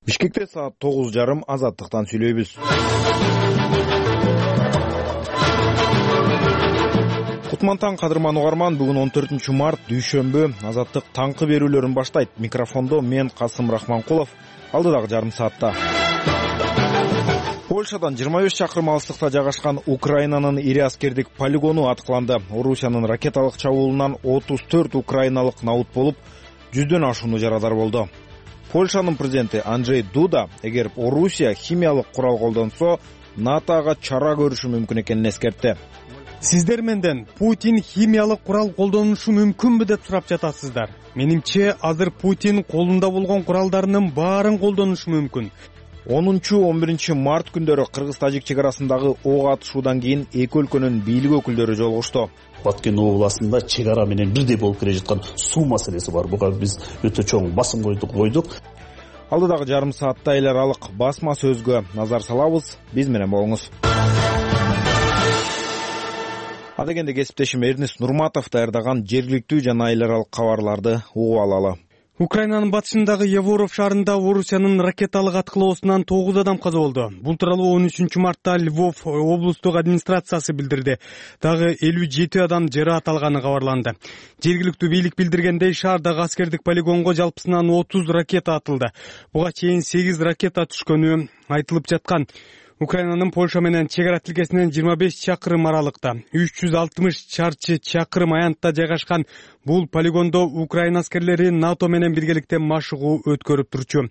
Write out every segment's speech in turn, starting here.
Бишкекте саат 9:30 Азаттыктан сүйлөйбүз. Кутмантан кадырман угарман, бүгүн 14 март дүйшөмбү. Азаттык таңкы берүүлөрүн баштайт. Микрофондо мен Касым Рахманкулов. Алдыдагы жарым саатта. Польшадан 25 чакырым алыстыкта жайгашкан Украинанын ири аскердик полигону аткыланды. Орусиянын ракеталык чабуулунан 34 украиналык набут болуп, 100дөн ашууну жарадар болду. Польшанын президенти Анджей Дуда эгер Орусия химиялык курал колдонсо, НАТОга чара көрүшү мүмкүн экенин эскертти. Сиздер менден Путин химиялык курал колдонушу мүмкүнбү деп сурап жатасыздар. Менимче, азыр Путин колунда болгон куралдарынын баарын колдонушу мүмкүн. 10-11 март күндөрү Кыргыз-Тажик чек арасындагы ок атышуудан кийин эки өлкөнүн бийлик өкүлдөрү жолугушту. Баткен областында чек ара менен бирдей болуп келе жаткан суу маселеси бар. Буга биз өтө чоң басым койдук. Алдыдагы жарым саатта эл аралык басма сөзгө назар салабыз. Биз менен болуңуз. Адегенде кесиптешим Эрнест Нурматов даярдаган жергиликтүү жана эл аралык кабарларды угуп алалы. Украинанын батышындагы Еворов шаарында Орусиянын ракеталык аткылоосунан 9 адам каза болду. Бул тууралуу 13 мартта Львов облустук администрациясы билдирди. Дагы 57 адам жараат алганы кабарланды. Жергиликтүү бийлик билдиргендей, шаардагы аскердик полигонго жалпысынан 30 ракета атылды. Буга чейин 8 ракета түшкөнү айтылып жаткан. Украинанын Польша менен чек ара тилкесинен 25 чакырым аралыкта, 360 чарчы чакырым аянтта жайгашкан бул полигондо Украина аскерлери НАТО менен биргеликте машыгуу өткөрүп турчу.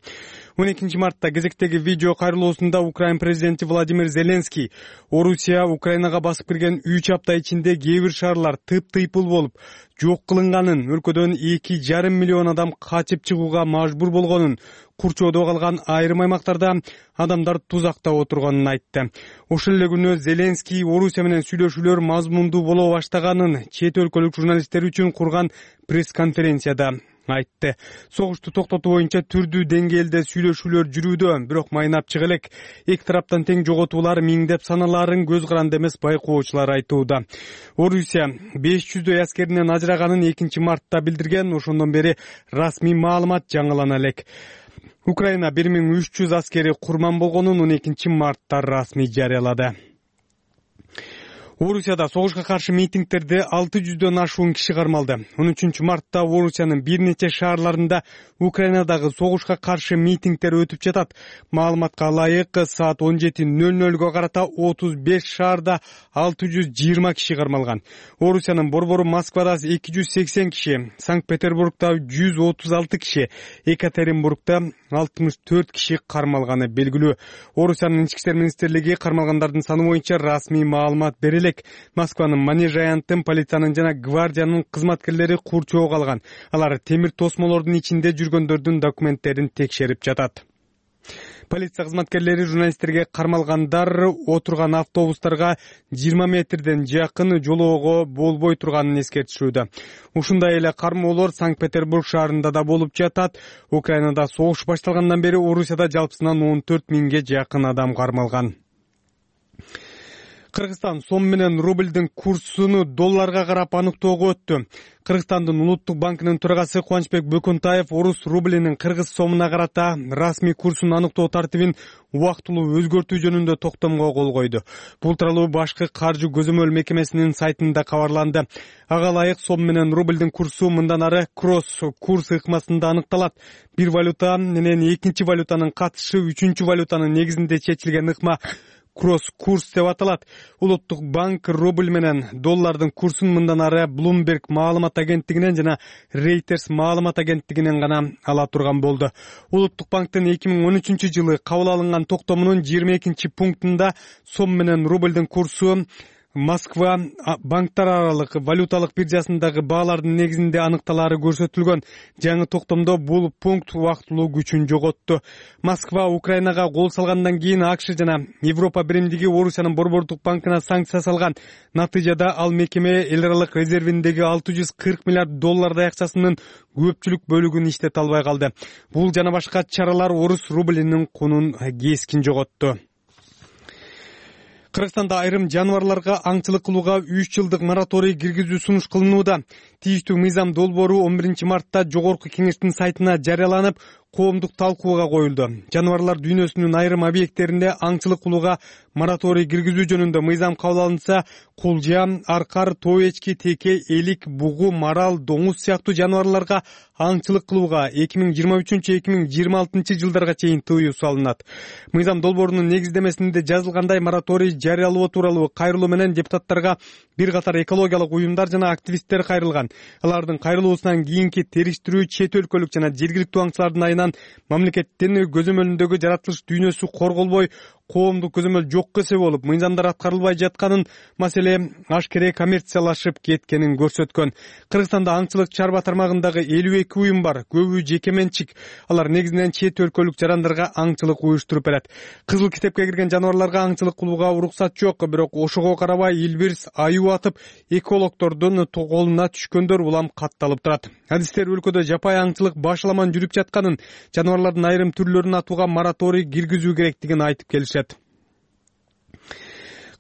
12 мартта кезектеги видео кайрылуусунда Украин президенти Владимир Зеленский Орусия Украинага басып кирген 3 апта ичинде кээ бир шаарлар тыйпыл болуп, жок кылынганын, өлкөдөн 2,5 миллион адам качып чыгууга мажбур болгонун, курчоодо калган айрым аймактарда адамдар тузакта отурганын айтты. Ошол эле күнү Зеленский Орусия менен сүйлөшүүлөр мазмундуу боло баштаганын чет өлкөлүк журналисттер үчүн курган пресс-конференцияда айтты. Согушту токтотуу боюнча түрдүү деңгээлде сүйлөшүүлөр жүрүүдө, бирок майнапчык элек. Эки тараптан тең жоготуулар миңдеп саналарын көз каранды эмес байкоочулар айтууда. Орусия 500дөй аскеринен ажыраганын 2 мартта билдирген, ошондон бери расмий маалымат жаңылана элек. Украина 1300 аскери курман болгонун 12 мартта расмий жарыялады. Орусияда согушка каршы митингтерди 600дөн ашуун киши кармалды. 13 мартта Орусиянын бир нече шаарларында Украинадагы согушка каршы митингтер өтүп жатат. Маалыматка ылайык, саат 17:00 карата 35 шаарда 620 киши кармалган. Орусиянын борбору Москвада 280 киши, Санкт-Петербургда 136 киши, Екатеринбургда 64 киши кармалганы белгилүү. Орусиянын ички иштер министрлиги кармалгандардын саны боюнча расмий маалымат берилек. Москванын Манеж аянтын, полициянын жана гвардиянын кызматкерлери курчоого алган. Алар темир тосмолордун ичинде жүргөндөрдүн документтерин текшерип жатат. Полиция кызматкерлери журналисттерге кармалгандар отурган автобустарга 20 метрден жакын жолоого болбой турганын эскертишүүдө. Ушундай эле кармоолор Санкт-Петербург шаарында да болуп жатат. Украинада согуш башталгандан бери Орусияда жалпысынан 14 миңге жакын адам кармалган. Кыргызстан сом менен рубльдин курсуну долларга карап аныктоого өттү. Кыргызстандын Улуттук банкынын төрагасы Кубанычбек Бөкөнтаев орус рублинин кыргыз сомуна карата расмий курсун аныктоо тартибин убактылуу өзгөртүү жөнүндө токтомго кол койду. Бул тууралуу башкы каржы көзөмөл мекемесинин сайтында кабарланды. Ага ылайык сом менен рубльдин курсу мындан ары кросс курс ыкмасында аныкталат. Бир валюта менен экинчи валютанын катышы үчүнчү валютанын негизинде чечилген ыкма кросс-курс деп аталат. Улуттук банк рубль менен доллардын курсун мындан ары Bloomberg маалымат агенттигинен жана Reuters маалымат агенттигинен гана ала турган болду. Улуттук банктын 2013 жылы кабыл алынган токтомунун 22 пунктунда сом менен рубльдин курсу Москва банктар аралык валюталык биржасындагы баалардын негизинде аныкталары көрсөтүлгөн. Жаңы токтомдо бул пункт убактылуу күчүн жоготту. Москва Украинага кол салгандан кийин АКШ жана Европа биримдиги Орусиянын борбордук банкына санкция салган. Натыйжада ал мекеме эл аралык резервиндеги 640 миллиард доллардай акчасынын көпчүлүк бөлүгүн иштете албай калды. Бул жана башка чаралар орус рублинин кунун кескин жоготту. Кыргызстанда айрым жаныбарларга аңчылык кылууга 3 жылдык мораторий киргизүү сунуш кылынууда. Тийиштүү мыйзам долбоору 11 мартта Жогорку Кеңештин сайтына жарыяланып, коомдук талкууга коюлду. Жаныбарлар дүйнөсүнүн айрым объекттеринде аңчылык кылууга мораторий киргизүү жөнүндө мыйзам кабыл алынса, кулжа, аркар, тоо эчки, теке, элик, бугу, марал, доңуз сыяктуу жаныбарларга аңчылык кылууга 2023-2026 жылдарга чейин тыюу салынат. Мыйзам долбоорунун негиздемесинде жазылгандай, мораторий жарыялоо тууралуу кайрылуу менен депутаттарга бир катар экологиялык уюмдар жана активисттер кайрылган. Алардын кайрылуусунан кийинки териштирүү чет өлкөлүк жана жергиликтүү аңчылардын айынан мамлекеттин көзөмөлүндөгү жаратылыш дүйнөсү корголбой, коомдук көзөмөл жокко эсеп болуп, мыйзамдар аткарылбай жатканын, маселе ашкере коммерциялашып кеткенин көрсөткөн. Кыргызстанда аңчылык чарба тармагындагы 52 уюм бар, көбү жеке менчик. Алар негизинен чет өлкөлүк жарандарга аңчылык уюштуруп берет. Кызыл китепке кирген жаныбарларга аңчылык кылууга уруксат жок, бирок ошого карабай Илбирс аюу атып, экологдордун колуна түшкөндөр улам катталып турат. Адистер өлкөдө жапай аңчылык башаламан жүрүп жатканын, жаныбарлардын айрым түрлөрүн атууга мораторий киргизүү керектигин айтып келишет.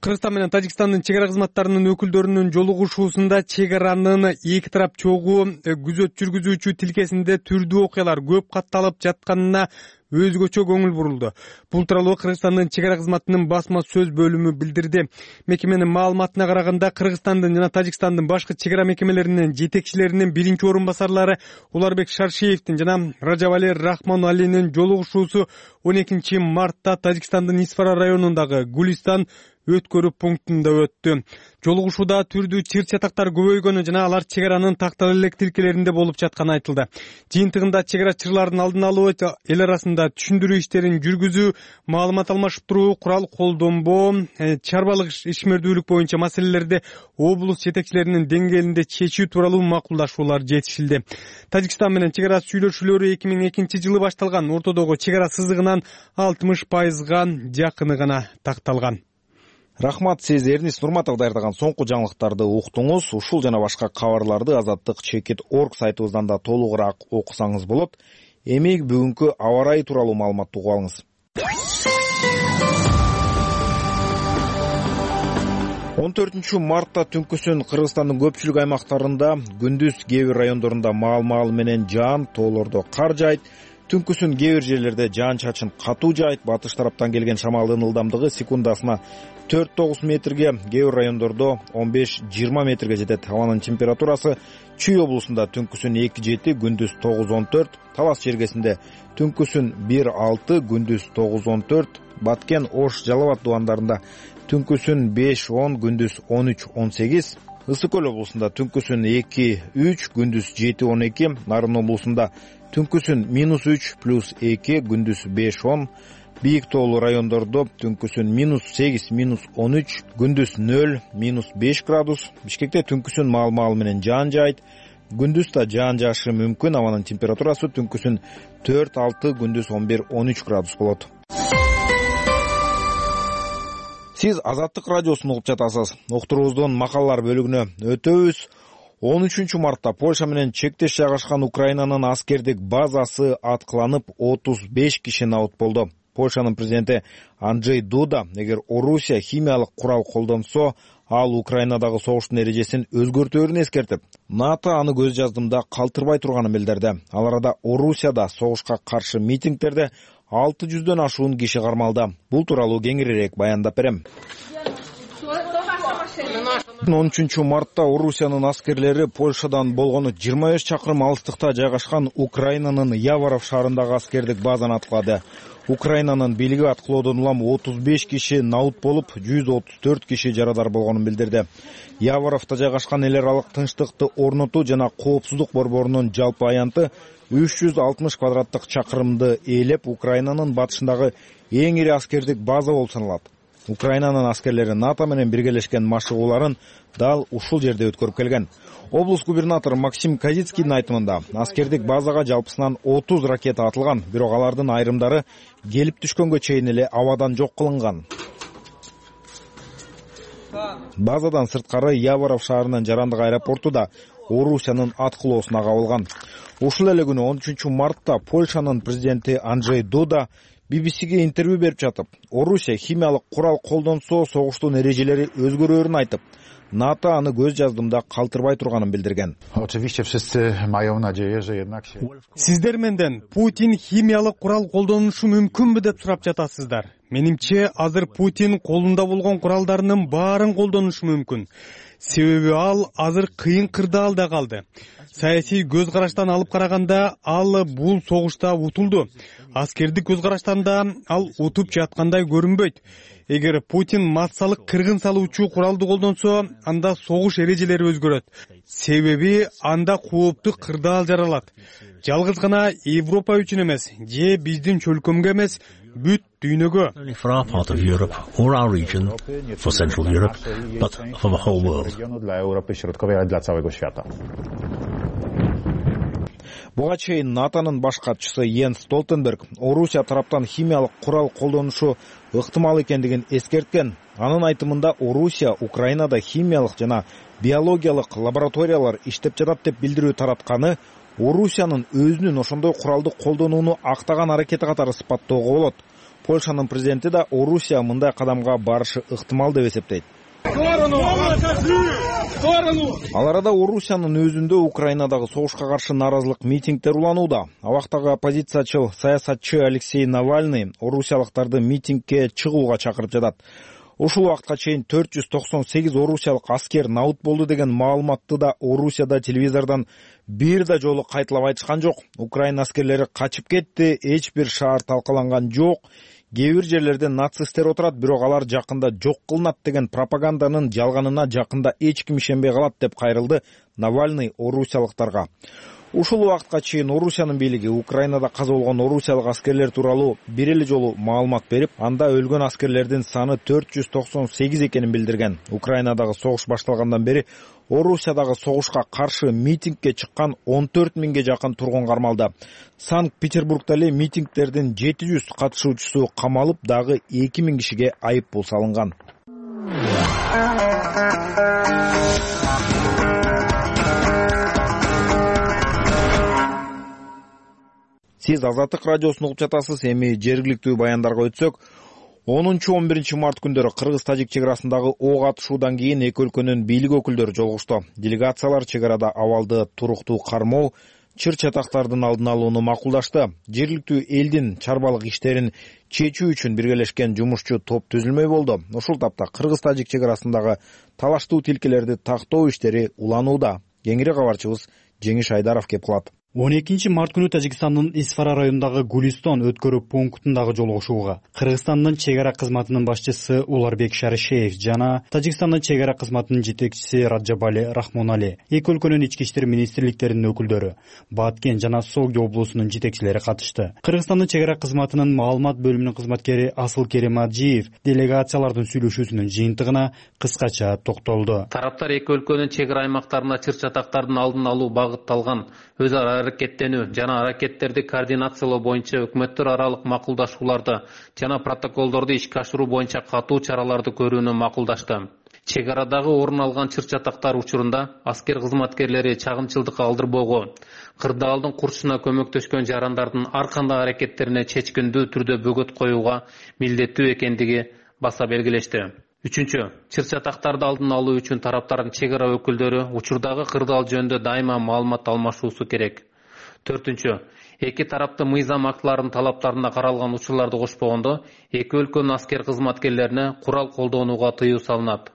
Кыргызстан менен Тажикстандын чек ара кызматтарынын өкүлдөрүнүн жолугушуусунда чек аранын эки тарап чогуу күзөт жүргүзүүчү тилкесинде түрдүү окуялар көп катталып жатканына өзгөчө көңүл бурулду. Бул тууралуу Кыргызстандын чек ара кызматынын басма сөз бөлүмү билдирди. Мекеменин маалыматына караганда, Кыргызстандын жана Тажикстандын башкы чек ара мекемелеринин жетекчилеринин биринчи орун басарлары Уларбек Шаршеевдин жана Ражабали Рахмоналинин жолугушуусу 12 мартта Тажикстандын Исфара районундагы Гулистан өткөрүү пунктунда өттү. Жолугушууда түрдүү чыр чатактар көбөйгөнү жана алар чек аранын тактал элек тилкелеринде болуп жатканы айтылды. Жыйынтыгында чек ара чырлардын алдын алуу, эл арасында түшүндүрүү иштерин жүргүзүү, маалымат алмаштыруу, курал колдонбоо, чарбалык ишмердүүлүк боюнча маселелерди облус жетекчилеринин деңгээлинде чечүү тууралуу макулдашуулар жетишилди. Тажикстан менен чек ара сүйлөшүүлөрү 2002 жылы башталган. Ортодогу чек ара сызыгынын 60%га жакыны гана такталган. Рахмат, сиз Эрнис Нурматов даярдаган соңку жаңылыктарды уктуңуз. Ушул жана башка кабарларды Азаттык.org сайтыбыздан да толугураак окусаңыз болот. Эми бүгүнкү аба ырайы тууралуу маалыматты угуп алыңыз. 14 мартта түнкүсүн Кыргызстандын көпчүлүк аймактарында, күндүз кээ бир райондорунда маал менен жаан, тоолордо кар жаайт. Түнкүсүн кээ бир жерлерде жаан-чачын катуу жаайт. Батыш тараптан келген шамалдын ылдамдыгы секундасына 4-9 метрге, кээ бир райондордо 15-20 метрге жетет. Абанын температурасы Чүй облусунда түнкүсүн 2-7, күндүз 9-14, Талас чергесинде түнкүсүн 1-6, күндүз 9-14, Баткен, Ош, Жалал Абад дубандарында түнкүсүн 5-10, күндүз 13-18, Ысык көл облусунда түнкүсүн 2-3, күндүз 7-12, Нарын облусунда түнкүсүн -3 + 2, күндүз 5-10, Бийик тоолуу райондордо түнкүсүн -8, -13, күндүз 0, -5 градус. Бишкекте түнкүсүн маал менен жаан жаайт. Күндүз да жаан жаашы мүмкүн. Абанын температурасы түнкүсүн 4-6, күндүз 11-13 градус болот. Сиз Азаттык радиосун угуп жатасыз. Уктуруубуздун макалалар бөлүгүнө өтөбүз. 13 мартта Польша менен чектеш жайгашкан Украинанын аскердик базасы аткыланып, 35 киши набыт болду. Польшанын президенти Анджей Дуда эгер Орусия химиялык курал колдонсо, ал Украинадагы согуштун эрежесин өзгөртөөрүн эскертип, НАТО аны көз жаздымда калтырбай турганын билдирди. Ал арада Орусияда согушка каршы митингдерде 600дөн ашуун киши кармалды. Бул тууралуу кеңирээк баяндап берем. 13 мартта Орусиянын аскерлери Польшадан болгону 25 чакырым алыстыкта жайгашкан Украинанын Яворов шаарындагы аскердик базаны аткылады. Украинанын бийлиги аткылоодон улам 35 киши набыт болуп, 134 киши жарадар болгонун билдирди. Яворовто жайгашкан эл аралык тынчтыкты орнотуу жана коопсуздук борборунун жалпы аянты 360 квадраттык чакырымды ээлеп, Украинанын батышындагы эң ири аскердик база болуп саналат. Украинанын аскерлери НАТО менен биргелешкен машыгууларын дал ушул жерде өткөрүп келген. Облус губернатору Максим Казицкийдин айтымында, аскердик базага жалпысынан 30 ракета атылган, бирок алардын айрымдары келип түшкөнгө чейин эле абадан жок кылынган. Базадан сырткары Яворов шаарынын жарандык аэропорту да Орусиянын аткылоосуна кабылган. Ушул эле күнү 13 мартта Польшанын президенти Анджей Дуда BBC'ге интервью берип жатып, Орусия химиялык курал колдонсо, согуштун эрежелери өзгөрөөрүн айтып, НАТО аны көз жаздымда калтырбай турганын билдирген. Сиздер менден Путин химиялык курал колдонушу мүмкүнбү деп сурап жатасыздар. Менимче азыр Путин колунда болгон куралдарынын баарын колдонушу мүмкүн. Себеби ал азыр кыйын кырдаалда калды. Саясий көз караштан алып караганда ал бул согушта утулду. Аскердик көз караштан да ал утуп жаткандай көрүнбөйт. Эгер Путин массалык кыргын салуучу куралды колдонсо, анда согуш эрежелери өзгөрөт. Себеби анда кооптуу кырдаал жаралат. Жалгыз гана Европа үчүн эмес, же биздин чөлкөмгө эмес, бүт дүйнөгө. Буга чейин НАТОнун баш катчысы Йенс Столтенберг Орусия тараптан химиялык курал колдонушу ыктымал экендигин эскерткен. Анын айтымында Орусия Украинада химиялык жана биологиялык лабораториялар иштеп жатат деп билдирүү таратканы Орусиянын өзүнүн ошондой куралды колдонууну актаган аракети катары сыпаттоого болот. Польшанын президенти да Орусия мындай кадамга барышы ыктымал деп эсептейт. Ал арада Орусиянын өзүндө Украинадагы согушка каршы нааразылык митингдер уланууда. Абактагы оппозициячыл саясатчы Алексей Навальный орусиялыктарды митингге чыгууга чакырып жатат. Ушул убакытка чейин 498 орусиялык аскер наут болду деген маалыматты да Орусияда телевизордон бир да жолу кайталап айтышкан жок. Украина аскерлери качып кетти, эч бир шаар талкаланган жок. Кээ бир жерлерде нацисттер отурат, бирок алар жакында жок кылынат деген пропаганданын жалганына жакында эч ким ишенбей калат деп кайрылды Навальный орусиялыктарга. Ушул убакытка чейин Орусиянын бийлиги Украинада каза болгон орусиялык аскерлер тууралуу бир эле жолу маалымат берип, анда өлгөн аскерлердин саны 498 экенин билдирген. Украинадагы согуш башталгандан бери Орусиядагы согушка каршы митингге чыккан 14 миңге жакын тургун кармалды. Санкт-Петербургда эле митингдердин 700 катышуучусу камалып, дагы 2000 кишиге айып пул салынган. Сиз Азаттык радиосун угуп жатасыз. Эми жергиликтүү баяндарга өтсөк, 10-11 март күндөрү Кыргыз-Тажик чек арасындагы ок атышуудан кийин эки өлкөнүн бийлик өкүлдөрү жолугушту. Делегациялар чек арада абалды туруктуу кармоо, чыр-чатактардын алдын алууну макулдашты. Жергиликтүү элдин чарбалык иштерин чечүү үчүн биргелешкен жумушчу топ түзүлмөй болду. Ушул тапта Кыргыз-Тажик чек арасындагы талаштуу тилкелерди тактоо иштери уланууда. Кеңири кабарчыбыз Жеңиш Айдаров кеп кылат. 12 март күнү Тажикстандын Исфара районундагы Гулистон өткөрүү пунктундагы жолугушууга Кыргызстандын чек ара кызматынын башчысы Уларбек Шаришеев жана Тажикстандын чек ара кызматынын жетекчиси Раджабали Рахмонали, эки өлкөнүн ички иштер министрликтеринин өкүлдөрү, Баткен жана Согди облусунун жетекчилери катышты. Кыргызстандын чек ара кызматынын маалымат бөлүмүнүн кызматкери Асыл Керим Аджиев делегациялардын сүйлөшүүсүнүн жыйынтыгына кыскача токтолду. Тараптар эки өлкөнүн чек ара аймактарында чыр-чатактардын алдын алуу багытталган өз ара аракеттенүү жана аракеттерди координациялоо боюнча өкмөттөр аралык макулдашууларды жана протоколдорду ишке ашыруу боюнча катуу чараларды көрүүнү макулдашты. Чек арадагы орун алган чыр-чатактар учурунда аскер кызматкерлери чагымчылдыкка алдырбоого, кырдаалдын курчусуна көмөктөшкөн жарандардын ар кандай аракеттерине чечкиндүү түрдө бөгөт коюуга милдеттүү экендиги баса белгилешти. Үчүнчү, чыр-чатактарды алдын алуу үчүн тараптардын чек ара өкүлдөрү учурдагы кырдаал жөнүндө дайыма маалымат алмашуусу керек. Төртүнчү, эки тарапты мыйзам актыларынын талаптарына каралган учурларды кошпогондо, эки өлкөнүн аскер кызматкерлерине курал колдонууга тыюу салынат.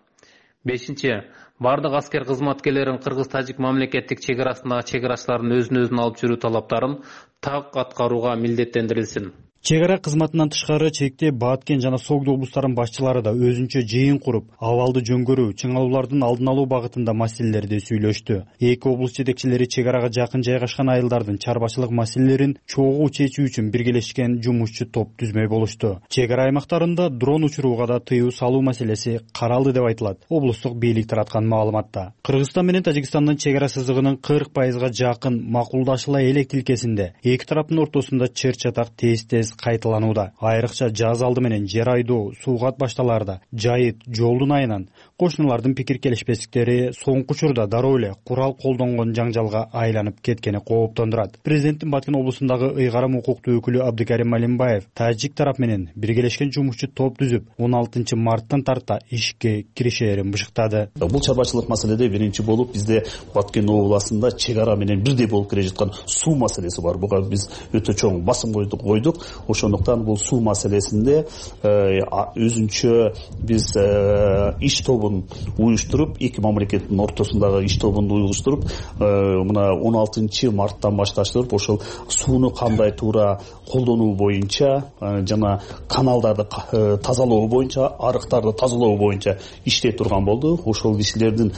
Бешинчи, бардык аскер кызматкерлерин Кыргыз-Тажик мамлекеттик чек арасындагы чек арачылардын өзүн алып жүрүү талаптарын так аткарууга милдеттендирилсин. Чек ара кызматынан тышкары чекте Баткен жана Согди облустарынын башчылары да өзүнчө жыйын куруп, абалды жөнгөрүү, чыңалуулардын алдын алуу багытында маселелерди сүйлөштү. Эки облус жетекчилери чек арага жакын жайгашкан айылдардын чарбачылык маселелерин чогуу чечүү үчүн биргелешкен жумушчу топ түзмөй болушту. Чек ара аймактарында дрон учурууга да тыюу салуу маселеси каралды деп айтылат облустук бийлик тараткан маалыматта. Кыргызстан менен Тажикстандын чек ара сызыгынын 40% жакын макулдашыла элек тилкесинде эки тараптын ортосунда чыр-чатак тез кайталанууда. Айрыкча жаз алды менен жер айдоо, суугат башталаарда жайыт, жолдун айынан кошуналардын пикир келишпестиктери соңку учурда дароо эле курал колдонгон жаңжалга айланып кеткени кооптондурат. Президенттин Баткен облусундагы ыйгарым укуктуу өкүлү Абдыкарим Малимбаев тажик тарап менен биргелешкен жумушчу топ түзүп 16 марттан тарта ишке киришээрин бышыктады. Бул чарбачылык маселеде биринчи болуп бизде Баткен областында чек ара менен бирдей болуп келе жаткан суу маселеси бар. Буга биз өтө чоң басым койдук. Ошондуктан бул суу маселесинде өзүнчө биз иш тобун уюштуруп, эки мамлекеттин ортосундагы иш тобун уюштуруп, мына 16 марттан башташтырып, ошол сууну кандай туура колдонуу боюнча жана каналдарды тазалоо боюнча, арыктарды тазалоо боюнча иштей турган болду. Ошол иштердин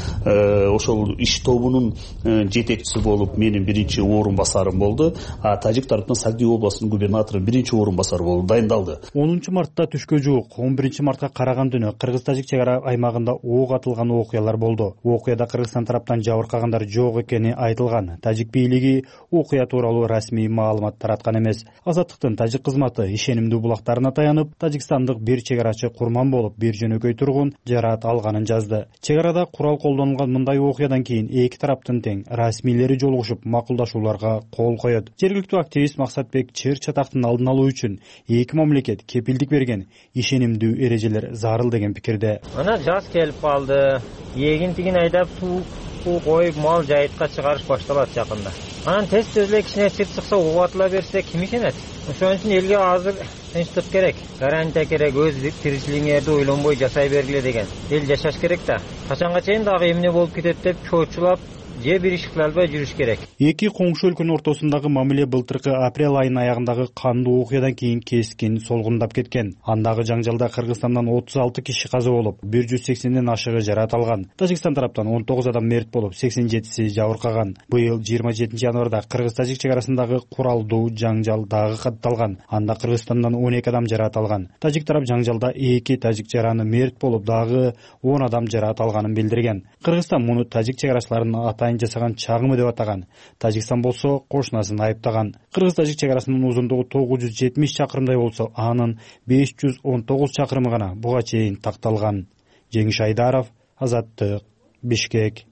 ошол иш тобунун жетекчиси болуп менин биринчи орун басарым болду. Тажик тараптан Сагдуу областынын губернатору биринчи орун басары болуп дайындалды. 10 мартта түшкө жуук 11 мартка караган түнү кыргыз-тажик чек ара аймагында ок атылган окуялар болду. Окуяда Кыргызстан тараптан жабыркагандар жок экени айтылган. Тажик бийлиги окуя тууралуу расмий маалымат тараткан эмес. Азаттыктын тажик кызматы ишенимдүү булактарына таянып, тажикстандык бир чек арачы курман болуп, бир жөнөкөй тургун жараат алганын жазды. Чек арада курал колдонулган мындай окуядан кийин эки тараптын тең расмийлери жолугушуп макулдашууларга кол коет. Жергиликтүү активист Максатбек чыр чатактын алдын алуу үчүн эки мамлекет кепилдик берген ишенимдүү эрежелер зарыл деген пикирде. Ана жаз келип калды. Эгин тигин айдап суу коюп мал жайытка чыгарыш башталат жакында. Анан тез эле кичине чыр чыкса убатыла берсе ким ишенет? Ошон үчүн элге азыр тынчтык керек, гарантия керек, өз тиричилигиңерди ойлонбой жашай бергиле деген. Эл жашаш керек да. Качанга чейин дагы эмне болуп кетет деп чоочулап же бир иш кыла албай жүрүш керек. Эки коңшу өлкөнүн ортосундагы мамиле былтыркы апрель айынын аягындагы кандуу окуядан кийин кескин солгундап кеткен. Андагы жаңжалда Кыргызстандан 36 киши каза болуп, 180ден ашыгы жараат алган. Тажикстан тараптан 19 адам мерт болуп, 87си жабыркаган. Быйыл 27 январда Кыргыз-тажик чек арасындагы куралдуу жаңжал дагы катталган. Анда Кыргызстандан 12 адам жараат алган. Тажик тарап жаңжалда 2 тажик жараны мерт болуп, дагы 10 адам жараат алганын билдирген. Кыргызстан муну тажик чек арачыларынын жасаган чагымы деп атаган. Тажикстан болсо кошунасын айыптаган. Кыргыз-тажик чек арасынын узундугу 970 чакырымдай болсо, анын 519 чакырымы гана буга чейин такталган. Жеңиш Айдаров, Азаттык, Бишкек.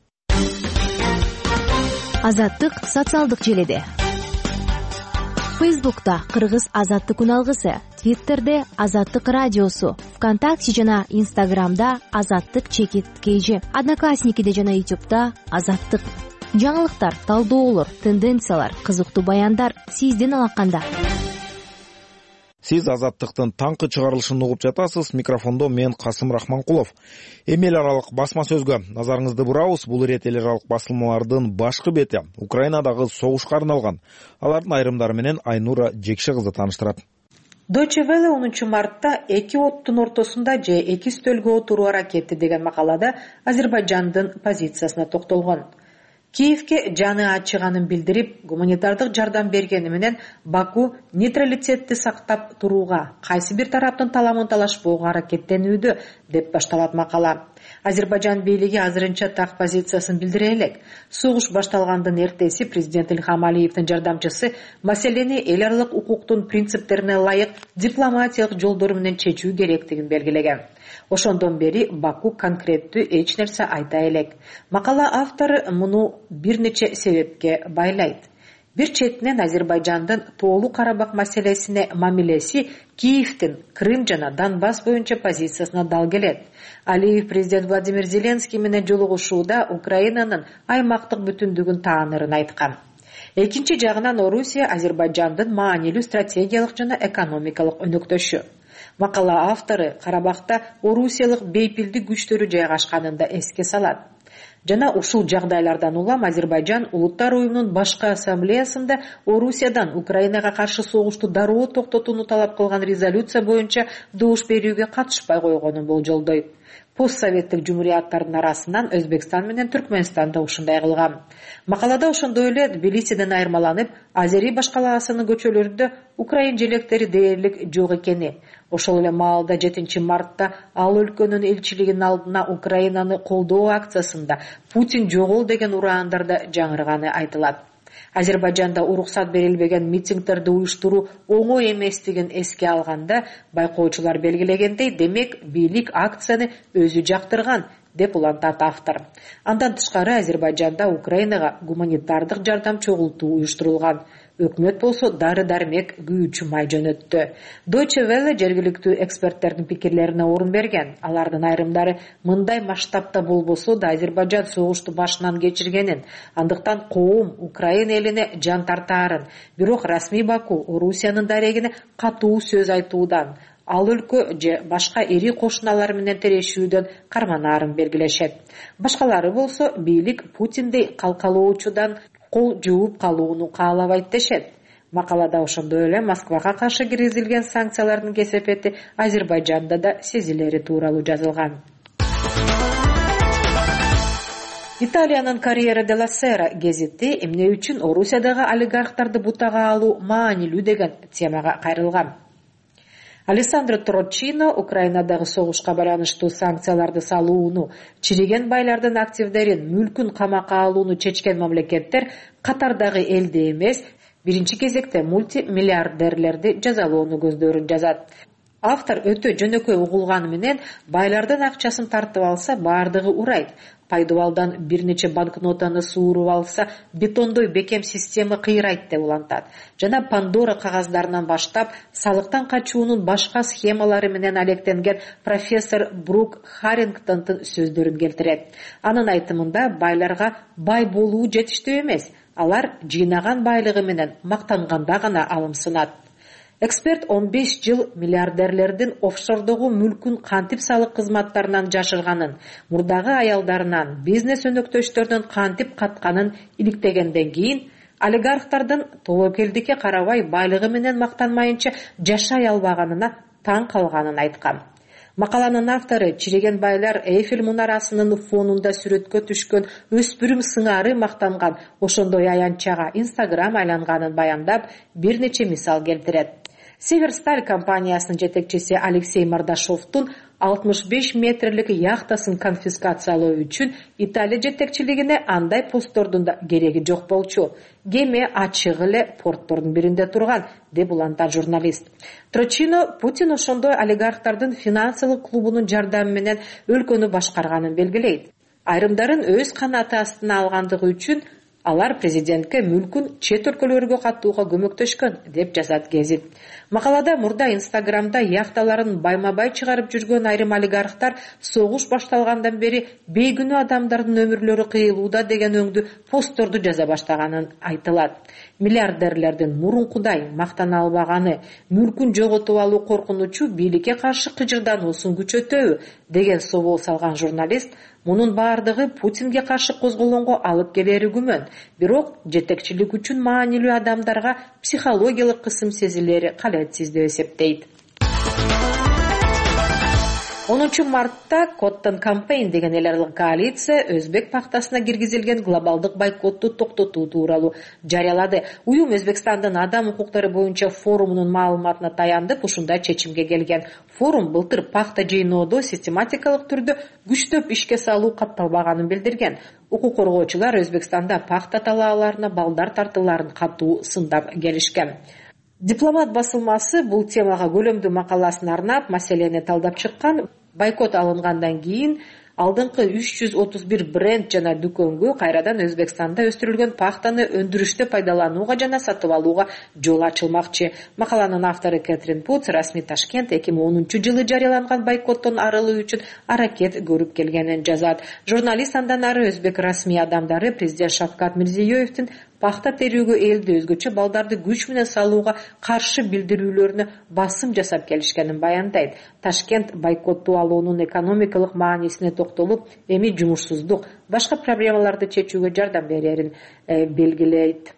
Азаттык социалдык желеде. Фейсбукта Кыргыз Азаттык үналгысы, Твиттерде Азаттык радиосу, ВКонтакте жана Инстаграмда Азаттык _KG, Одноклассникиде жана Ютубта Азаттык. Жаңылыктар, талдоолор, тенденциялар, кызыктуу баяндар сизден алаканда. Сиз Азаттыктын таңкы чыгарылышын угуп жатасыз. Микрофондо мен Касым Рахманкулов. Эми эл аралык басма сөзгө назарыңызды бурабыз. Бул ирет эл аралык басылмалардын башкы бети Украинадагы согушка арналган. Алардын айрымдары менен Айнура Жекше кызы тааныштырат. Deutsche Welle 10 мартта эки оттун ортосунда же эки стөлгө отуруу аракети деген макалада Азербайжандын позициясына токтолгон. Киевке жаны ачыганын билдирип, гуманитардык жардам бергени менен Баку нейтралитетти сактап турууга, кайсы бир тараптын таламын талашпоого аракеттенүүдө деп башталат макала. Азербайжан бийлиги азырынча так позициясын билдире элек. Согуш башталгандын эртеси президент Ильхам Алиевдин жардамчысы маселени эл аралык укуктун принциптерине ылайык дипломатиялык жолдор менен чечүү керектигин белгилеген. Ошондон бери Баку конкреттүү эч нерсе айта элек. Макала автору муну бир нече себепке байлайт. Бир четинен Азербайжандын Тоолуу Карабак маселесине мамилеси Киевдин Крым жана Донбасс боюнча позициясына дал келет. Алиев президент Владимир Зеленский менен жолугушууда Украинанын аймактык бүтүндүгүн таанырын айткан. Экинчи жагынан Орусия Азербайжандын маанилүү стратегиялык жана экономикалык өнөктөшү. Макала автору Карабакта Орусиялык бейпилдик күчтөрү жайгашканын да эске салат. Жана ушул жагдайлардан улам Азербайжан Улуттар уюмунун башкы ассамблеясында Орусиядан Украинага каршы согушту дароо токтотууну талап кылган резолюция боюнча добуш берүүгө катышпай койгонун болжолдойт. Постсоветтик жумурияттардын арасынан Өзбекстан менен Түркмөнстан да ушундай кылган. Макалада ошондой эле Тбилисиден айырмаланып, Азери башкаласынын көчөлөрүндө украин желектери дээрлик жок экени. Ошол эле маалда 7 мартта ал өлкөнүн элчилигинин алдына Украинаны колдоо акциясында Путин жогол деген ураандар да жаңырганы айтылат. Азербайжанда уруксат берилбеген митингдерди уюштуруу оңой эместигин эске алганда, байкоочулар белгилегендей, демек бийлик акцияны өзү жактырган, деп улантат автор. Андан тышкары Азербайжанда Украинага гуманитардык жардам чогултуу уюштурулган. Өкмөт болсо дары-дармек, күйүүчү май жөнөттү. Deutsche Welle жергиликтүү эксперттердин пикирлерине орун берген. Алардын айрымдары мындай масштабта болбосо да Азербайжан согушту башынан кечиргенин, андыктан коом Украина элине жан тартаарын, бирок расмий Баку Орусиянын дарегине катуу сөз айтуудан, ал өлкө же башка ири кошуналар менен тирешүүдөн карманаарын белгилешет. Башкалары болсо бийлик Путиндей калкалоочудан кол жууп калууну каалабайт дешет. Макалада ошондой эле Москвага каршы киргизилген санкциялардын кесепети Азербайжанда да сезилери тууралуу жазылган. Италиянын Corriere della Sera гезити эмне үчүн Орусиядагы олигархтарды бутага алуу маанилүү деген темага кайрылган. Алессандро Трочино Украинадагы согушка байланыштуу санкцияларды салууну, чириген байлардын активдерин, мүлкүн камакка алууну чечкен мамлекеттер катардагы элди эмес, биринчи кезекте мультимиллиардерлерди жазалоону көздөрүн жазат. Автор өтө жөнөкөй угулганы менен байлардын акчасын тартып алса баардыгы урайт. Пайдубалдан бир нече банкнотаны сууруп алса бетондой бекем система кыйрайт деп улантат. Жана Пандора кагаздарынан баштап салыктан качуунун башка схемалары менен алектенген профессор Брук Харрингтондун сөздөрүн келтирет. Анын айтымында байларга бай болуу жетиштүү эмес, алар жыйнаган байлыгы менен мактанганда гана алымсынат. Эксперт 15 жыл миллиардерлердин офшордогу мүлкүн кантип салык кызматтарынан жашырганын, мурдагы аялдарынан, бизнес өнөктөштөрдөн кантип катканын иликтегенден кийин олигархтардын тобокелдикке карабай байлыгы менен мактанмайынча жашай албаганына таң калганын айткан. Макаланын автору чириген байлар Эйфель мунарасынын фонунда сүрөткө түшкөн өспүрүм сыңары мактанган ошондой аянтчага Instagram айланганын баяндап, бир нече мисал келтирет. Северсталь компаниясынын жетекчиси Алексей Мардашовдун 65 метрлик яхтасын конфискациялоо үчүн Италия жетекчилигине андай посттордун да кереги жок болчу. Кеме ачык эле порттордун биринде турган, деп улантат журналист. Трочино Путин ошондой олигархтардын финансылык клубунун жардамы менен өлкөнү башкарганын белгилейт. Айрымдарын өз канаты астына алгандыгы үчүн алар президентке мүлкүн чет өлкөлөргө каттууга көмөктөшкөн, деп жазат гезит. Макалада мурда Инстаграмда яхталарын байма-бай чыгарып жүргөн айрым олигархтар согуш башталгандан бери бейгүнөө адамдардын өмүрлөрү кыйылууда деген өңдүү постторду жаза баштаганын айтылат. Миллиардерлердин мурункудай мактана албаганы, мүлкүн жоготуп алуу коркунучу бийликке каршы кыжырдануусун күчөтөбү деген собол салган журналист мунун баардыгы Путинге каршы козголгонго алып келери күмөн. Бирок жетекчилик үчүн маанилүү адамдарга психологиялык кысым сезилери калетсиз деп эсептейт. 10 мартта Cotton Campaign деген эл аралык коалиция Өзбек пахтасына киргизилген глобалдык бойкотту токтотуу тууралуу жарыялады. Уюм Өзбекстандын адам укуктары боюнча форумунун маалыматына таянып, ушундай чечимге келген. Форум былтыр пахта жыйноодо систематикалык түрдө күчтөп ишке салуу катталбаганын билдирген. Укук коргоочулар Өзбекстанда пахта талааларына балдар тартууларын катуу сындап келишкен. Дипломат басылмасы бул темага көлөмдүү макаласын арнап, маселени талдап чыккан. Бойкот алынгандан кийин алдыңкы 331 бренд жана дүкөнгө кайрадан Өзбекстанда өстүрүлгөн пахтаны өндүрүштө пайдаланууга жана сатып алууга жол ачылмакчы. Макаланын автору Кэтрин Путс расмий Ташкент 2010 жылы жарыяланган бойкоттон арылуу үчүн аракет көрүп келгенин жазат. Журналист андан ары өзбек расмий адамдары президент Шавкат Мирзиёевдин пахта терүүгө элди өзгөчө балдарды күч менен салууга каршы билдирүүлөрүнө басым жасап келишкенин баяндайт. Ташкент бойкотту алуунун экономикалык маанисине токтолуп, эми жумушсуздук, башка проблемаларды чечүүгө жардам берерин белгилейт.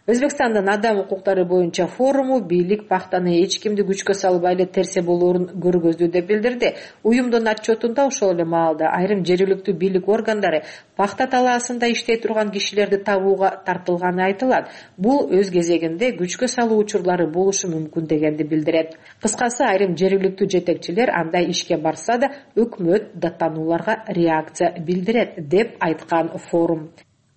Өзбекстандын адам укуктары боюнча форуму бийлик пахтаны эч кимди күчкө салбай эле терсе болоорун көргөздү деп билдирди. Уюмдун отчетунда ошол эле маалда айрым жергиликтүү бийлик органдары пахта талаасында иштей турган кишилерди табууга тартылганы айтылат. Бул өз кезегинде күчкө салуу учурлары болушу мүмкүн дегенди билдирет. Кыскасы, айрым жергиликтүү жетекчилер андай ишке барса да өкмөт даттанууларга реакция билдирет деп айткан форум.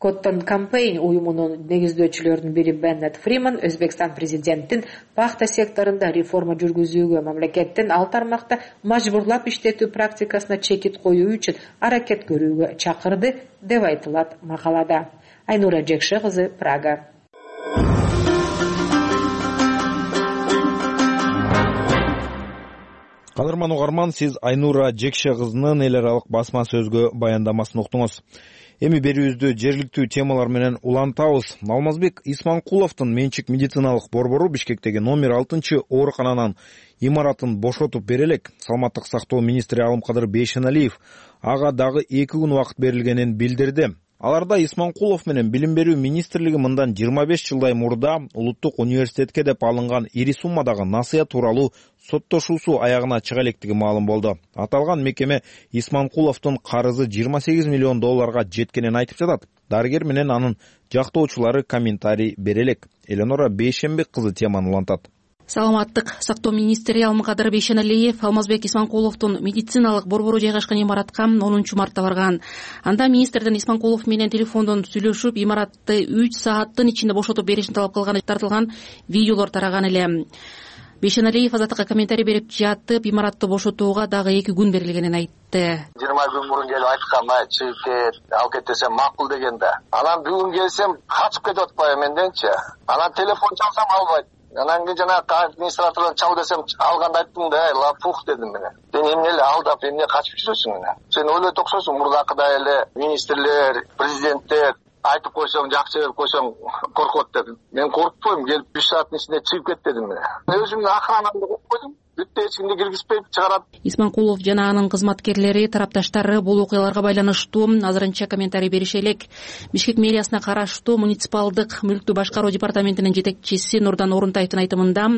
Cotton Campaign уюмунун негиздөөчүлөрүнүн бири Беннет Фриман Өзбекстан президентин пахта секторунда реформа жүргүзүүгө мамлекеттин ал тармакта мажбурлап иштетүү практикасына чекит коюу үчүн аракет көрүүгө чакырды деп айтылат макалада. Айнура Жекше кызы, Прага. Кадырман угарман, сиз Айнура Жекше кызынын эл аралык басма сөзгө баяндамасын уктуңуз. Эми берүүбүздү жергиликтүү темалар менен улантабыз. Алмазбек Исманкуловдун менчик медициналык борбору Бишкектеги номер 6 оорукананын имаратын бошотуп бере элек. Саламаттык сактоо министри Алымкадыр Бейшеналиев ага дагы 2 күн убакыт берилгенин билдирди. Аларда Исманкулов менен Билим берүү министрлиги мындан 25 жылдай мурда улуттук университетке деп алынган ири суммадагы насыя тууралуу соттошуусу аягына чыга электиги маалым болду. Аталган мекеме Исманкуловдун карызы $28 миллион жеткенин айтып жатат. Дарыгер менен анын жактоочулары комментарий бере элек. Эленора Бейшенбек кызы теманы улантат. Саламаттык сактоо министри Алымкадыр Бейшеналиев Алмазбек Исманкуловдун медициналык борбору жайгашкан имаратка 10 мартта барган. Анда министрдин Исманкулов менен телефондон сүйлөшүп, имаратты 3 сааттын ичинде бошотуп беришин талап кылганы тартылган видеолор тараган эле. Бейшеналиев азаттыкка комментарий берип жатып, имаратты бошотууга дагы 2 күн берилгенин айтты. 20 күн мурун келип айткам, чыгып кет, алып кет десем макул дегенде. Анан бүгүн келсем качып кетип атпайбы менденчи. Анан телефон чалсам албайт. Анан кийин жана администратордон чал десем алганда айттым да, лапух дедим мен. Сен эмне эле алдап, эмне качып жүрөсүң мен. Сен ойлойт окшойсуң, мурдакыдай эле министрлер, президенттер айтып койсоң, жакшы берип койсоң коркот дедим. Мен коркпойм, келип 3 сааттын ичинде чыгып кет дедим мен. Өзүмдүн охранамды коюп койдум. Бүтө эч кимди киргизбей чыгарат. Исманкулов жана анын кызматкерлери, тарапташтары бул окуяларга байланыштуу азырынча комментарий берише элек. Бишкек мэриясына караштуу муниципалдык мүлктү башкаруу департаментинин жетекчиси Нурдан Орунтаевдин айтымында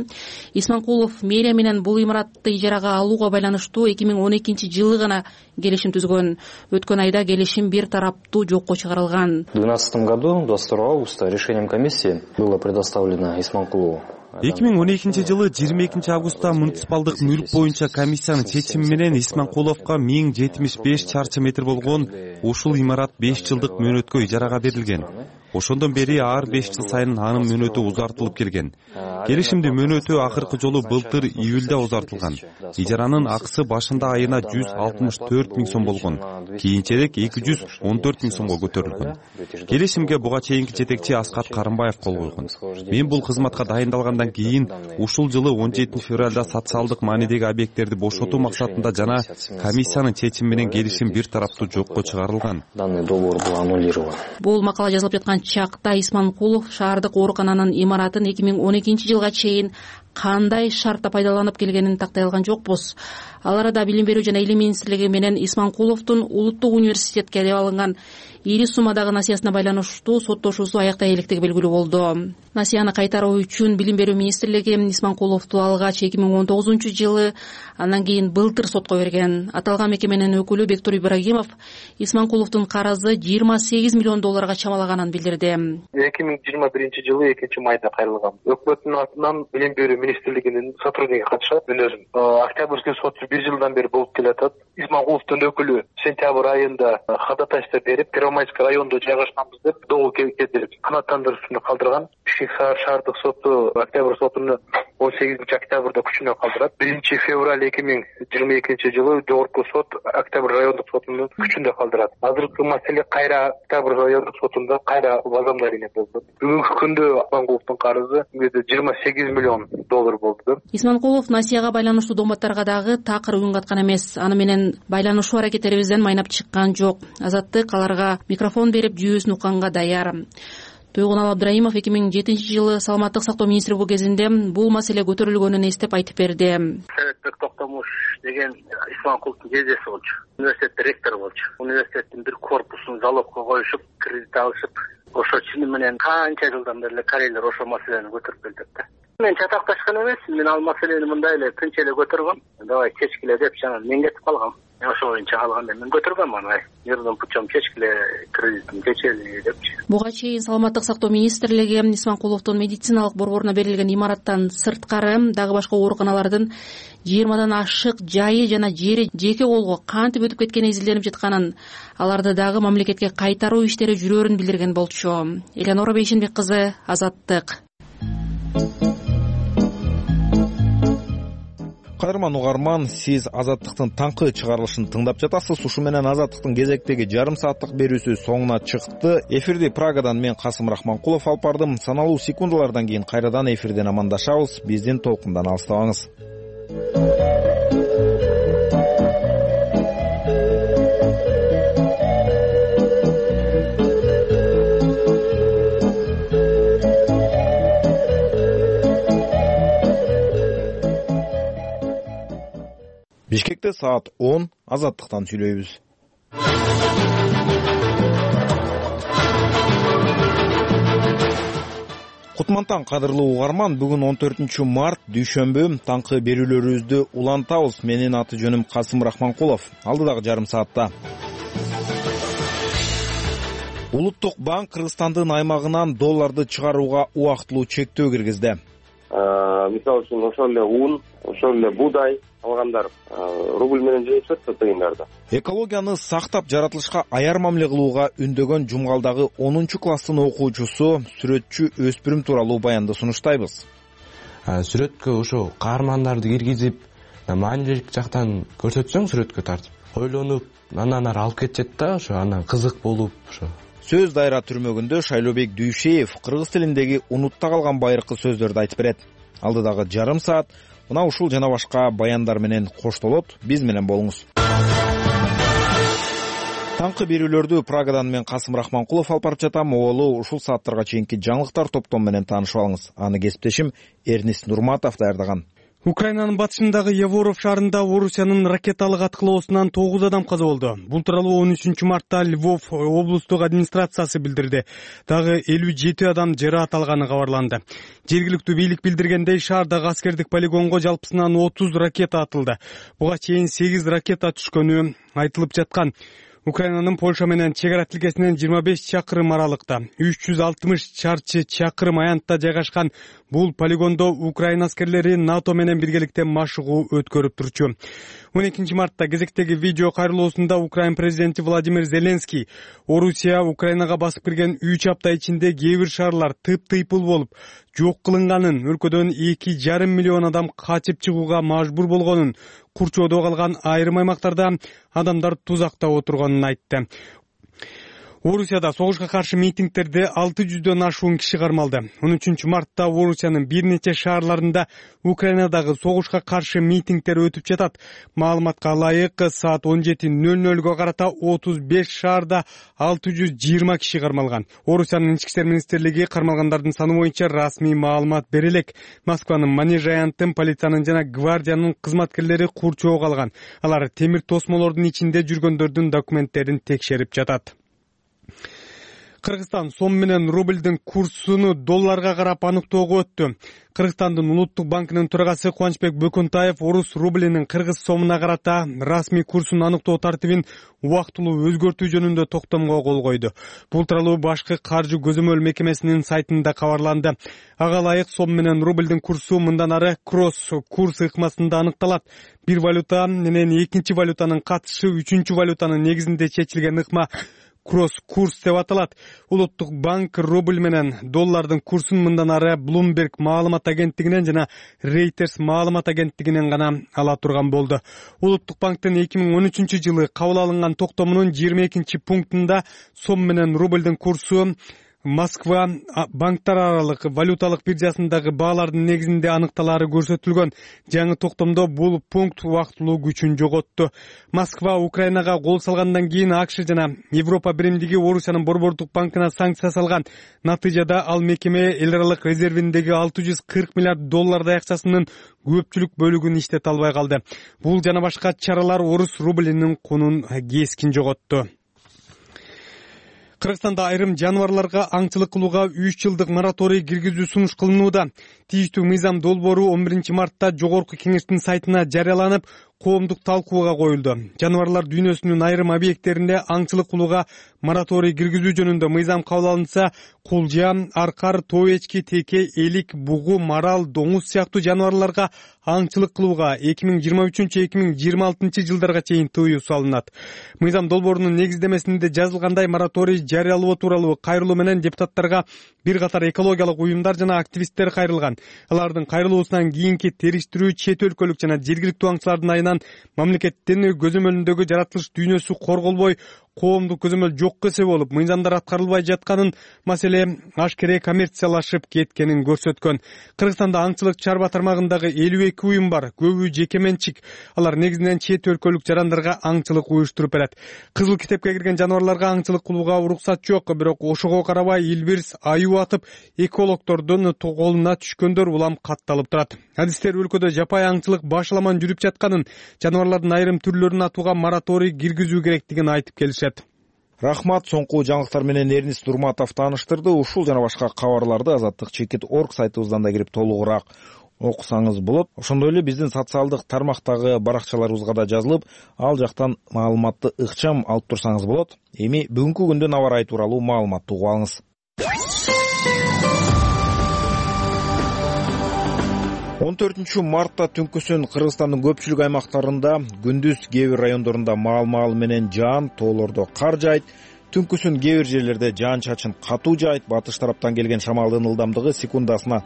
Исманкулов мэрия менен бул имаратты ижарага алууга байланыштуу 2012 жылы гана келишим түзгөн. Өткөн айда келишим бир тараптуу жокко чыгарылган. В 2012 году 22 августа решением комиссии было предоставлено Исманкулову 2012 жылы 22 августта муниципалдык мүлк боюнча комиссиянын чечими менен Исманкуловго 1075 чарчы метр болгон ушул имарат 5 жылдык мөөнөткө ижарага берилген. Ошондон бери ар 5 жыл сайын анын мөөнөтү узартылып келген. Келишимдин мөөнөтү акыркы жолу былтыр июлда узартылган. Ижаранын акысы башында айына 164 миң сом болгон. Кийинчерээк 214 миң сомго көтөрүлгөн. Келишимге буга чейинки жетекчи Аскат Карымбаев кол койгон. Мен бул кызматка дайындалгандан кийин ушул жылы 17 февралда социалдык маанидеги объекттерди бошотуу максатында жана комиссиянын чечими менен келишим бир тараптуу жокко чыгарылган. Данный договор был аннулирован. Бул макала жазылып жаткан чакта Исманкулов шаардык оорукананын имаратын 2012 жылга чейин кандай шартта пайдаланып келгенин тактай алган жокпуз. Ал арада Билим берүү жана Илим министрлиги менен Исманкуловдун улуттук университетке деп алынган ири суммадагы насыясына байланыштуу соттошуусу аяктай электиги белгилүү болду. Насыяны кайтаруу үчүн Билим берүү министрлиги Исманкуловду алгач 2019 жылы, андан кийин былтыр сотко берген. Аталган мекеменин өкүлү Бектур Ибрагимов Исманкуловдун карызы $28 миллион чамалаганын билдирди. 2021 жылы 2-майда кайрылган. Өкмөттүн атынан Билим берүү министрлигинин сотрудниги катышат. Мен өзүм октябрьский сот 1 жылдан бери болуп келатат. Исманкуловдун өкүлү сентябрь айында ходатайство берип, Первомайский райондо жайгашканбыз деп долг кетирип, канааттандыруусуну калтырган. Бишкек шаардык соту октябрь сотуну 18 октябрда күчүнө калтырат. 1 февраль 2022 жылы жогорку сот октябрь райондук сотунун күчүндө калтырат. Азыркы маселе кайра октябрь райондук сотунда кайра возобновление болду. Бүгүнкү күндө Исманкуловдун карызы $28 миллион болду. Исманкулов насыяга байланыштуу доматтарга дагы такыр үн каткан эмес. Аны менен байланышуу аракеттерибизден майнап чыккан жок. Азаттык аларга микрофон берип жүйөсүн укканга даяр. Тойгунал Абдраимов 2007 жылы саламаттык сактоо министри бул кезинде бул маселе көтөрүлгөнүн эстеп айтып берди. Советбек Токтомуш деген Исманкуловдун жездеси болчу. Университет ректору болчу. Университеттин бир корпусун залогко коюшуп, кредит алышып, ошо чыны менен канча жылдан бери корейлер ошол маселени көтөрүп келет да. Мен чатакташкан эмес, мен ал маселени мындай эле тынч эле көтөргөм. Давай чечкиле деп жана мен кетип калгам. ошо боюнча алганда мен көтөргөм аны мирдин путем чечкиле кредитин чечели депчи. Буга чейин саламаттык сактоо министрлиги Исманкуловдун медициналык борборуна берилген имараттан сырткары дагы башка ооруканалардын 20дан ашык жайы жана жери жеке колго кантип өтүп кеткени изилденип жатканын, аларды дагы мамлекетке кайтаруу иштери жүрөөрүн билдирген болчу. Элеонора Бейшенбек кызы, Азаттык. Кадырман угарман, сиз Азаттыктын таңкы чыгарылышын тыңдап жатасыз. Ушу менен Азаттыктын кезектеги жарым сааттык берүүсү соңуна чыкты. Эфирди Прагадан мен Касым Рахманкулов алып бардым. Саналуу секундалардан кийин кайрадан эфирден амандашабыз. Биздин толкундан алыстабаңыз. Бишкекте саат 10, Азаттыктан сүйлөйбүз. Кутмантан кадырлуу угарман, бүгүн 14 март дүйшөмбү, таңкы берүүлөрүбүздү улантабыз. Менин аты жөнүм Касым Рахманкулов. Алдыдагы жарым саатта Улуттук банк Кыргызстандын аймагынан долларды чыгарууга убактылуу чектөө киргизди. Мисалы үчүн ошол эле ун, ошол эле буудай алгандар рубль менен жөнөтүп атат тыйындарда. Экологияны сактап жаратылышка аяр мамиле кылууга үндөгөн Жумгалдагы 10-класстын окуучусу, сүрөтчү өспүрүм тууралуу баянды сунуштайбыз. Сүрөткө ошо каармандарды киргизип, маанилүүлүк жактан көрсөтсөң сүрөткө тартып, ойлонуп, анан ары алып кетет да, ошо анан кызык болуп ошо. Сөз дайра түрмөгүндө Шайлообек Дүйшеев кыргыз тилиндеги унутта калган байыркы сөздөрдү айтып берет. Алдыдагы жарым саат мына ушул жана башка баяндар менен коштолот. Биз менен болуңуз. Таңкы берүүлөрдү Прагадан мен Касым Рахманкулов алып барып жатам. Оолу ушул сааттарга чейинки жаңылыктар топтом менен таанышып алыңыз. Аны кесиптешим Эрнис Нурматов даярдаган. Украинанын батышындагы Еворов шаарында Орусиянын ракеталык аткылоосунан 9 адам каза болду. Бул тууралуу 13 мартта Львов облустук администрациясы билдирди. Дагы 57 адам жараат алганы кабарланды. Жергиликтүү бийлик билдиргендей, шаардагы аскердик полигонго жалпысынан 30 ракета атылды. Буга чейин 8 ракета түшкөнү айтылып жаткан. Украинанын Польша менен чек ара тилкесинен 25 чакырым аралыкта 360 чарчы чакырым аянтта жайгашкан бул полигондо Украина аскерлери НАТО менен биргеликте машыгуу өткөрүп турчу. 12 мартта кезектеги видео кайрылуусунда Украин президенти Владимир Зеленский Орусия Украинага басып кирген 3 апта ичинде кээ бир шаарлар тыйпыл болуп жок кылынганын, өлкөдөн 2,5 миллион адам качып чыгууга мажбур болгонун, курчоодо калган айрым аймактарда адамдар тузакта отурганын айтты. Орусияда согушка каршы митингтерде 600дөн ашуун киши кармалды. 13 мартта Орусиянын бир нече шаарларында Украинадагы согушка каршы митингтер өтүп жатат. Маалыматка ылайык, саат 17:00 карата 35 шаарда 620 киши кармалган. Орусиянын ички иштер министрлиги кармалгандардын саны боюнча расмий маалымат бере элек. Москванын Манеж аянтын, полициянын жана гвардиянын кызматкерлери курчоого алган. Алар темир тосмолордун ичинде жүргөндөрдүн документтерин текшерип жатат. Кыргызстан сом менен рубльдин курсуну долларга карап аныктоого өттү. Кыргызстандын улуттук банкынын төрагасы Кубанычбек Бөкөнтаев орус рублинин кыргыз сомуна карата расмий курсун аныктоо тартибин убактылуу өзгөртүү жөнүндө токтомго кол койду. Бул тууралуу башкы каржы көзөмөл мекемесинин сайтында кабарланды. Ага ылайык сом менен рубльдин курсу мындан ары кросс курс ыкмасында аныкталат. Бир валюта менен экинчи валютанын катышы үчүнчү валютанын негизинде чечилген ыкма кросс-курс деп аталат. Улуттук банк рубль менен доллардын курсун мындан ары Bloomberg маалымат агенттигинен жана Reuters маалымат агенттигинен гана ала турган болду. Улуттук банктын 2013 жылы кабыл алынган токтомунун 22 пунктунда сом менен рубльдин курсу Москва банктар аралык валюталык биржасындагы баалардын негизинде аныкталары көрсөтүлгөн. Жаңы токтомдо бул пункт убактылуу күчүн жоготту. Москва Украинага кол салгандан кийин АКШ жана Европа биримдиги Орусиянын борбордук банкына санкция салган. Натыйжада ал мекеме эл аралык резервиндеги 640 миллиард доллардай акчасынын көпчүлүк бөлүгүн иштете албай калды. Бул жана башка чаралар орус рублинин кунун кескин жоготту. Кыргызстанда айрым жаныбарларга аңчылык кылууга 3 жылдык мораторий киргизүү сунуш кылынууда. Тийиштүү мыйзам долбоору 11 мартта Жогорку Кеңештин сайтына жарыяланып, коомдук талкууга коюлду. Жаныбарлар дүйнөсүнүн айрым объекттеринде аңчылык кылууга мораторий киргизүү жөнүндө мыйзам кабыл алынса, кулжа, аркар, тоо эчки, теке, элик, бугу, марал, доңуз сыяктуу жаныбарларга аңчылык кылууга 2023-2026 жылдарга чейин тыюу салынат. Мыйзам долбоорунун негиздемесинде жазылгандай мораторий жарыялоо тууралуу кайрылуу менен депутаттарга бир катар экологиялык уюмдар жана активисттер кайрылган. Алардын кайрылуусунан кийинки териштирүү чет өлкөлүк жана жергиликтүү аңчылардын айынан мамлекеттин көзөмөлүндөгү жаратылыш дүйнөсү корголбой, коомдук көзөмөл жокко эсеп болуп, мыйзамдар аткарылбай жатканын, маселе ашкере коммерциялашып кеткенин көрсөткөн. Кыргызстанда аңчылык чарба тармагындагы 52 уюм бар, көбү жеке менчик. Алар негизинен чет өлкөлүк жарандарга аңчылык уюштуруп берет. Кызыл китепке кирген жаныбарларга аңчылык кылууга уруксат жок, бирок ошого карабай илбирс аюу атып, экологдордун колуна түшкөндөр улам катталып турат. Адистер өлкөдө жапай аңчылык башаламан жүрүп жатканын, жаныбарлардын айрым түрлөрүн атууга мораторий киргизүү керектигин айтып келишет. Рахмат, соңку жаңылыктар менен Эрнис Турматов тааныштырды. Ушул жана башка кабарларды azattik.org сайтыбыздан да кирип толугураак окусаңыз болот. Ошондой эле биздин социалдык тармактагы баракчаларыбызга да жазылып, ал жактан маалыматты ыкчам алып турсаңыз болот. Эми бүгүнкү күндүн аба ырайы тууралуу маалыматты угуп алыңыз. 14 мартта түнкүсүн Кыргызстандын көпчүлүк аймактарында, күндүз кээ бир райондорунда маал менен жаан, тоолордо кар жаайт. Түнкүсүн кээ бир жерлерде жаан-чачын катуу жаайт. Батыш тараптан келген шамалдын ылдамдыгы секундасына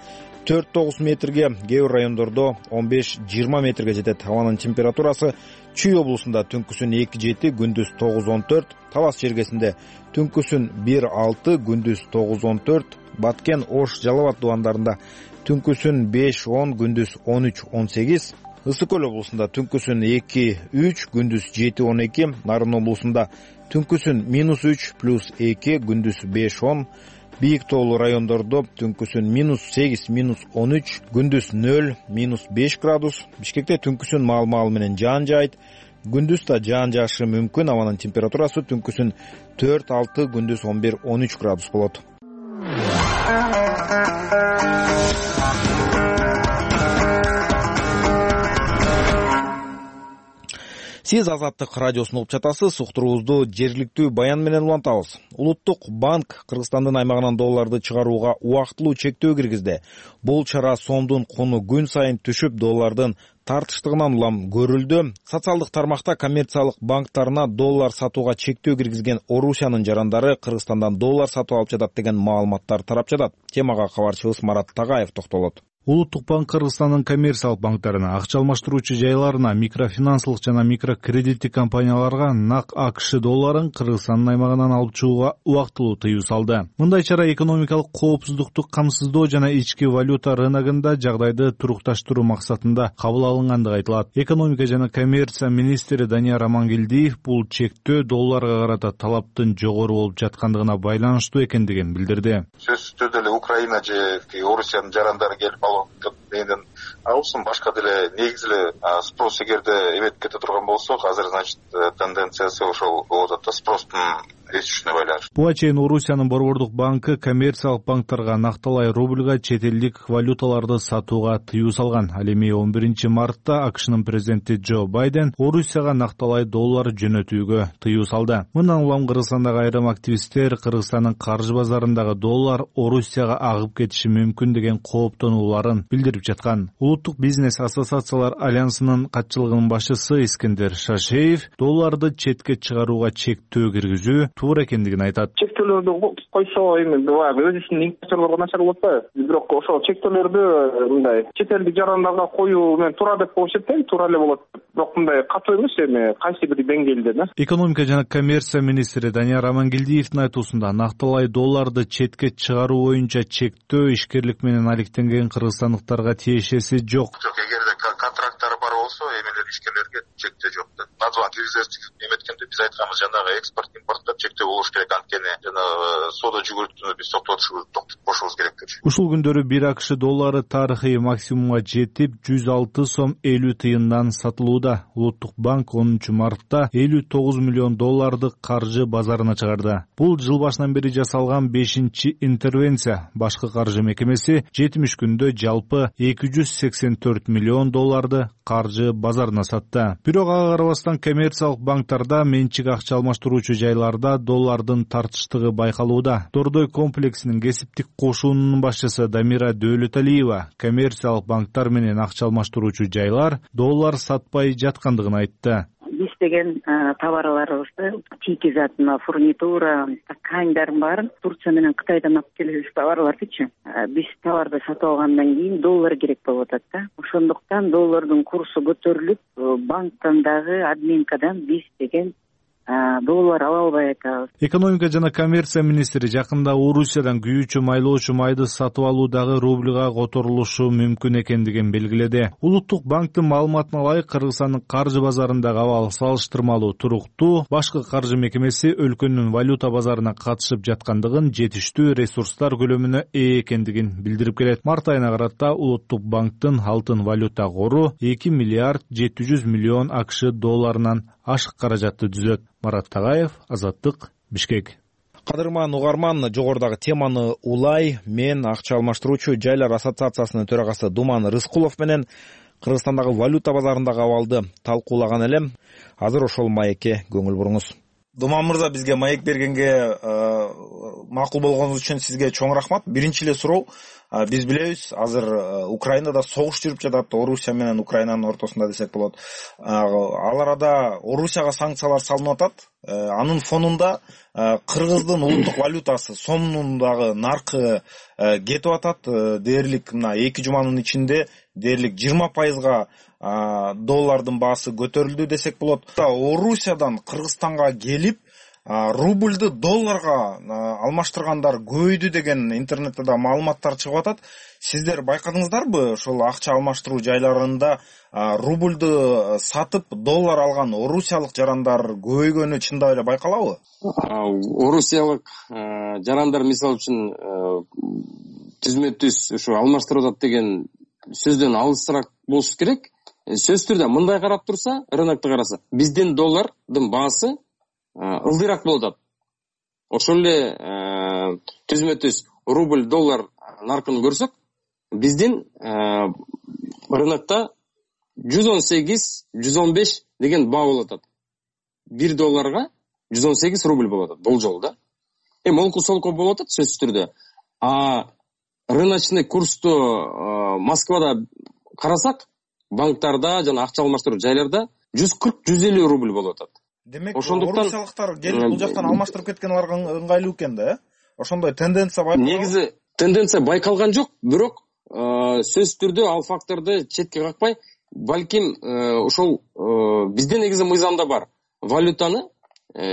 4-9 метрге, кээ бир райондордо 15-20 метрге жетет. Абанын температурасы Чүй облусунда түнкүсүн 2-7, күндүз 9-14, Талас чергесинде түнкүсүн 1-6, күндүз 9-14, Баткен, Ош, Жалал абад дубандарында түнкүсүн 5-10, күндүз 13-18, Ысык көл облусунда түнкүсүн 2-3, күндүз 7-12, Нарын облусунда түнкүсүн -3 + 2, күндүз 5-10, Бийик тоолуу райондордо түнкүсүн -8, -13, күндүз 0, -5 градус. Бишкекте түнкүсүн маал менен жаан жаайт. Күндүз да жаан жаашы мүмкүн. Абанын температурасы түнкүсүн 4-6, күндүз 11-13 градус болот. Сиз Азаттык радиосун угуп жатасыз. Уктуруубузду жергиликтүү баян менен улантабыз. Улуттук банк Кыргызстандын аймагынан долларды чыгарууга убактылуу чектөө киргизди. Бул чара сомдун куну күн сайын түшүп, доллардын тартыштыгынан улам көрүлдү. Социалдык тармакта коммерциялык банктарына доллар сатууга чектөө киргизген Орусиянын жарандары Кыргызстандан доллар сатып алып жатат деген маалыматтар тарап жатат. Темага кабарчыбыз Марат Тагаев токтолот. Улуттук банк Кыргызстандын коммерциялык банктарына, акча алмаштыруучу жайларына, микрофинансылык жана микрокредиттик компанияларга нак АКШ долларын Кыргызстандын аймагынан алып чыгууга убактылуу тыюу салды. Мындай чара экономикалык коопсуздукту камсыздоо жана ички валюта рыногунда жагдайды турукташтыруу максатында кабыл алынгандыгы айтылат. Экономика жана коммерция министри Данияр Амангелдиев бул чектөө долларга карата талаптын жогору болуп жаткандыгына байланыштуу экендигин билдирди. Сөзсүз түрдө эле Украина же Орусиянын жарандары келип дегенден алсын, башка деле негизи эле спрос эгерде эметип кете турган болсок, азыр значит тенденциясы ошол болуп атат да, спростун өсүшүнө байланыштуу. Буга чейин Орусиянын Борбордук банкы коммерциялык банктарга накталай рубльга чет элдик валюталарды сатууга тыюу салган. Ал эми 11 мартта АКШнын президенти Джо Байден Орусияга накталай доллар жөнөтүүгө тыюу салды. Мындан улам Кыргызстандагы айрым активисттер Кыргызстандын каржы базарындагы доллар Орусияга агып кетиши мүмкүн деген кооптонууларын билдирип жаткан. Улуттук бизнес ассоциациялар альянсынын катчылыгынын башчысы Искендер Шашеев долларды четке чыгарууга чектөө киргизүү туура экендигин айтат. Чектөөлөрдү койсо эми баягы өзүнүн инвесторлорго начар болот да. Бирок ошол чектөөлөрдү мындай чет элдик жарандарга коюу менен туура деп эсептейм, туура эле болот. Бирок мындай катуу эмес, эми кайсы бир деңгээлде да. Экономика жана коммерция министри Данияр Амангелдиевдин айтуусунда накталай долларды четке чыгаруу боюнча чектөө ишкерлик менен алектенген кыргызстандыктарга тиешеси жок. Эгерде контракттары бар болсо, эмелер ишкерлерге чектөө жок да. Назван киргизесиз эметкенде биз айтканбыз, жанагы экспорт импортто чектөө болуш керек, анткени жана соода жүгүртүүнү биз токтотуп кошубуз керек деп. Ушул күндөрү 1 АКШ доллары тарыхый максимумга жетип 106 сом 50 тыйындан сатылууда. Улуттук банк 10 мартта 59 миллион долларды каржы базарына чыгарды. Бул жыл башынан бери жасалган 5-чи интервенция. Башкы каржы мекемеси 70 күндө жалпы 284 миллион долларды каржы каржы базарына сатты. Бирок ага карабастан коммерциялык банктарда менчик акча алмаштыруучу жайларда доллардын тартыштыгы байкалууда. Дордой комплексинин кесиптик кошуунунун башчысы Дамира Дөөлөталиева коммерциялык банктар менен акча алмаштыруучу жайлар доллар сатпай жаткандыгын айтты. Биз деген товарларыбызды чийки затына, фурнитура, тканьдардын баарын Турция менен Кытайдан алып келебиз товарлардычы. Биз товарды сатып алгандан кийин доллар керек болуп атат да. Ошондуктан доллардын курсу көтөрүлүп, банктан дагы админкадан биз деген доллар ала албай атабыз. Экономика жана коммерция министри жакында Орусиядан күйүүчү майлоочу майды сатып алуудагы рубльга которулушу мүмкүн экендигин белгиледи. Улуттук банктын маалыматына ылайык Кыргызстандын каржы базарындагы абал салыштырмалуу туруктуу. Башкы каржы мекемеси өлкөнүн валюта базарына катышып жаткандыгын, жетиштүү ресурстар көлөмүнө ээ экендигин билдирип келет. Март айына карата Улуттук банктын алтын валюта кору 2 миллиард 700 миллион АКШ долларынан ашык каражатты түзөт. Марат Тагаев, Азаттык, Бишкек. Кадырман угарман, жогорудагы теманы улай мен акча алмаштыруучу жайлар ассоциациясынын төрагасы Думан Рыскулов менен Кыргызстандагы валюта базарындагы абалды талкуулаган элем. Азыр ошол маекке көңүл буруңуз. Думан мырза, бизге маек бергенге макул болгонуңуз үчүн сизге чоң рахмат. Биринчи эле суроо, биз билебиз, азыр Украинада согуш жүрүп жатат, Орусия менен Украинанын ортосунда десек болот. Ал арада Орусияга санкциялар салынып атат. Анын фонунда Кыргыздын улуттук валютасы сомдун дагы наркы кетип атат. Дээрлик мына 2 жуманын ичинде дээрлик 20%га доллардын баасы көтөрүлдү десек болот. Орусиядан Кыргызстанга келип рубльды долларга алмаштыргандар көбөйдү деген интернетте да маалыматтар чыгып атат. Сиздер байкадыңыздарбы ошол акча алмаштыруу жайларында рубльды сатып доллар алган орусиялык жарандар көбөйгөнү чындап эле байкалабы? Орусиялык жарандар мисалы үчүн түзмө-түз ушу алмаштырып атат деген сөздөн алысыраак болуш керек. Сөз түрдө мындай карап турса, рынокто караса, биздин доллардын баасы ылдыйраак болуп атат. Ошол эле түзмө-түз рубль доллар наркын көрсөк, биздин рынокто 118-115 деген баа болуп атат. 1 долларга 118 рубль болуп атат болжол да. Молку солку болуп атат сөз түрдө. Рыночный курсту Москвада карасак, банктарда жана акча алмаштыруу жайларда 140-150 рубль болуп атат. Демек, орусиялыктар келип бул жактан алмаштырып кеткен аларга ыңгайлуу экен да, Ошондой тенденция байкалган. Негизи тенденция байкалган жок, бирок сөз түрдө ал факторду четке какпай, балким ошол бизде негизи мыйзамда бар. Валютаны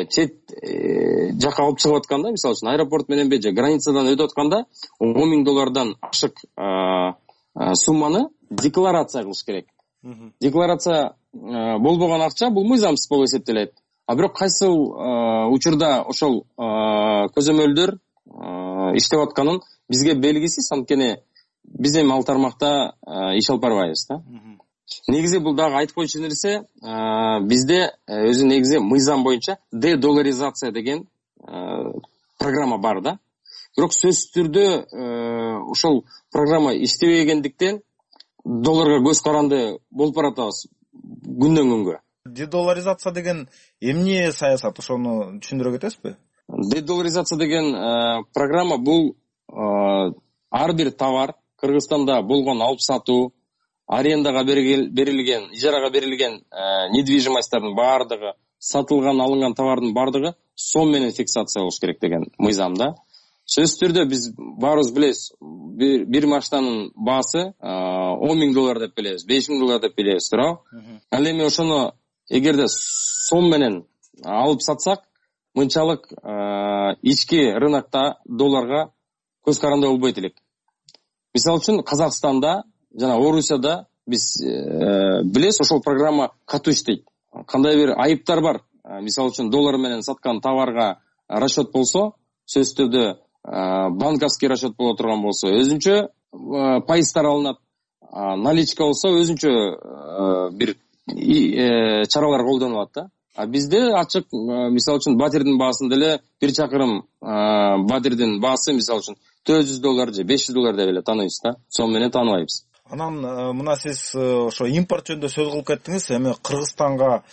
чет жака алып чыгып атканда, мисалы үчүн аэропорт менен же границадан өтүп атканда $10,000 ашык сумманы декларация кылыш керек. Декларация болбогон акча бул мыйзамсыз болуп эсептелет. А бирок кайсыл учурда ошол көзөмөлдөр иштеп атканын бизге белгисиз, анткени биз эми ал тармакта иш алып барбайбыз да. Негизи бул дагы айтып койчу нерсе, бизде өзү негизи мыйзам боюнча дедоларизация деген программа бар да. Бирок сөз түрдө ошол программа иштебегендиктен долларга көз каранды болуп баратабыз күндөн күнгө. Дедоларизация деген эмне саясат, ошону түшүндүрө кетесизби? Дедоларизация деген программа бул ар бир товар Кыргызстанда болгон алып сатуу, арендага берилген, ижарага берилген недвижимостьтардын баардыгы, сатылган, алынган товардын баардыгы сом менен фиксация болуш керек деген мыйзамда. Сөз түрдө биз баарыбыз билебиз, бир машинанын баасы $10,000 деп билебиз, $5,000 деп билебиз, туурабы? Ал эми ошону эгерде сом менен алып сатсак, мынчалык ички рынокто долларга көз каранды болбойт элек. Мисалы үчүн Казакстанда жана Орусияда биз билебиз, ошол программа катуу иштейт. Кандай бир айыптар бар. Мисалы үчүн доллар менен саткан товарга расчет болсо, сөз түрдө банковский расчет боло турган болсо, өзүнчө пайыздар алынат. Наличка болсо, өзүнчө бир чаралар колдонулат да. А бизде ачык, мисалы үчүн батирдин баасын деле, бир чакырым батирдин баасы мисалы үчүн $400 же $500 деп эле тааныйбыз да. Сом менен тааныбайбыз. Анан мына сиз ошо импорт жөнүндө сөз кылып кеттиңиз. Эми Кыргызстанга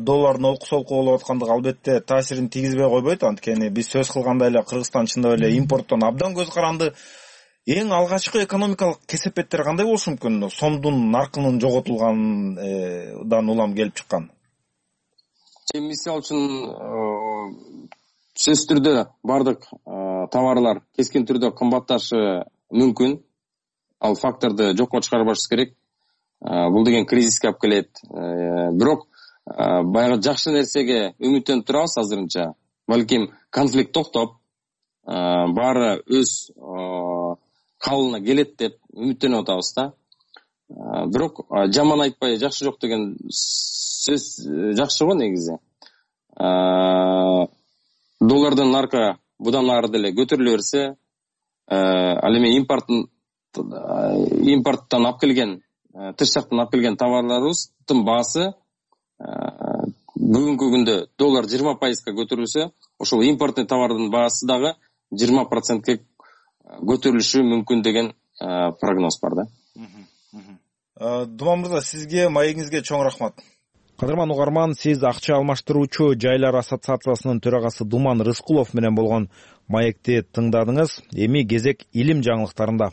доллардын олку-солку болуп аткандыгы албетте таасирин тийгизбей койбойт. Анткени биз сөз кылгандай эле Кыргызстан чындап эле импорттон абдан көз каранды. Эң алгачкы экономикалык кесепеттер кандай болушу мүмкүн? Сомдун наркынын жоготулгандан улам келип чыккан. Мисалы үчүн сөзсүз түрдө бардык товарлар кескин түрдө кымбатташы мүмкүн. Ал факторду жокко чыгарбашыбыз керек. Бул деген кризиске алып келет. Бирок баягы жакшы нерсеге үмүттөнүп турабыз азырынча. Балким конфликт токтоп, баары өз калыбына келет деп үмүттөнүп атабыз да. Бирок жаман айтпай жакшы жок деген сөз жакшы го негизи. Доллардын наркы будан ары деле көтөрүлө берсе, ал эми импорттон алып келген, тыш жактан алып келген товарларыбыздын баасы бүгүнкү күндө доллар 20% көтөрүлсө, ошол импортный товардын баасы дагы 20% көтөрүлүшү мүмкүн деген прогноз бар да. Думан мырза, сизге, маегиңизге чоң рахмат. Кадырман угарман, сиз акча алмаштыруучу жайлар ассоциациясынын төрагасы Думан Рыскулов менен болгон маекти тыңдадыңыз. Эми кезек илим жаңылыктарында.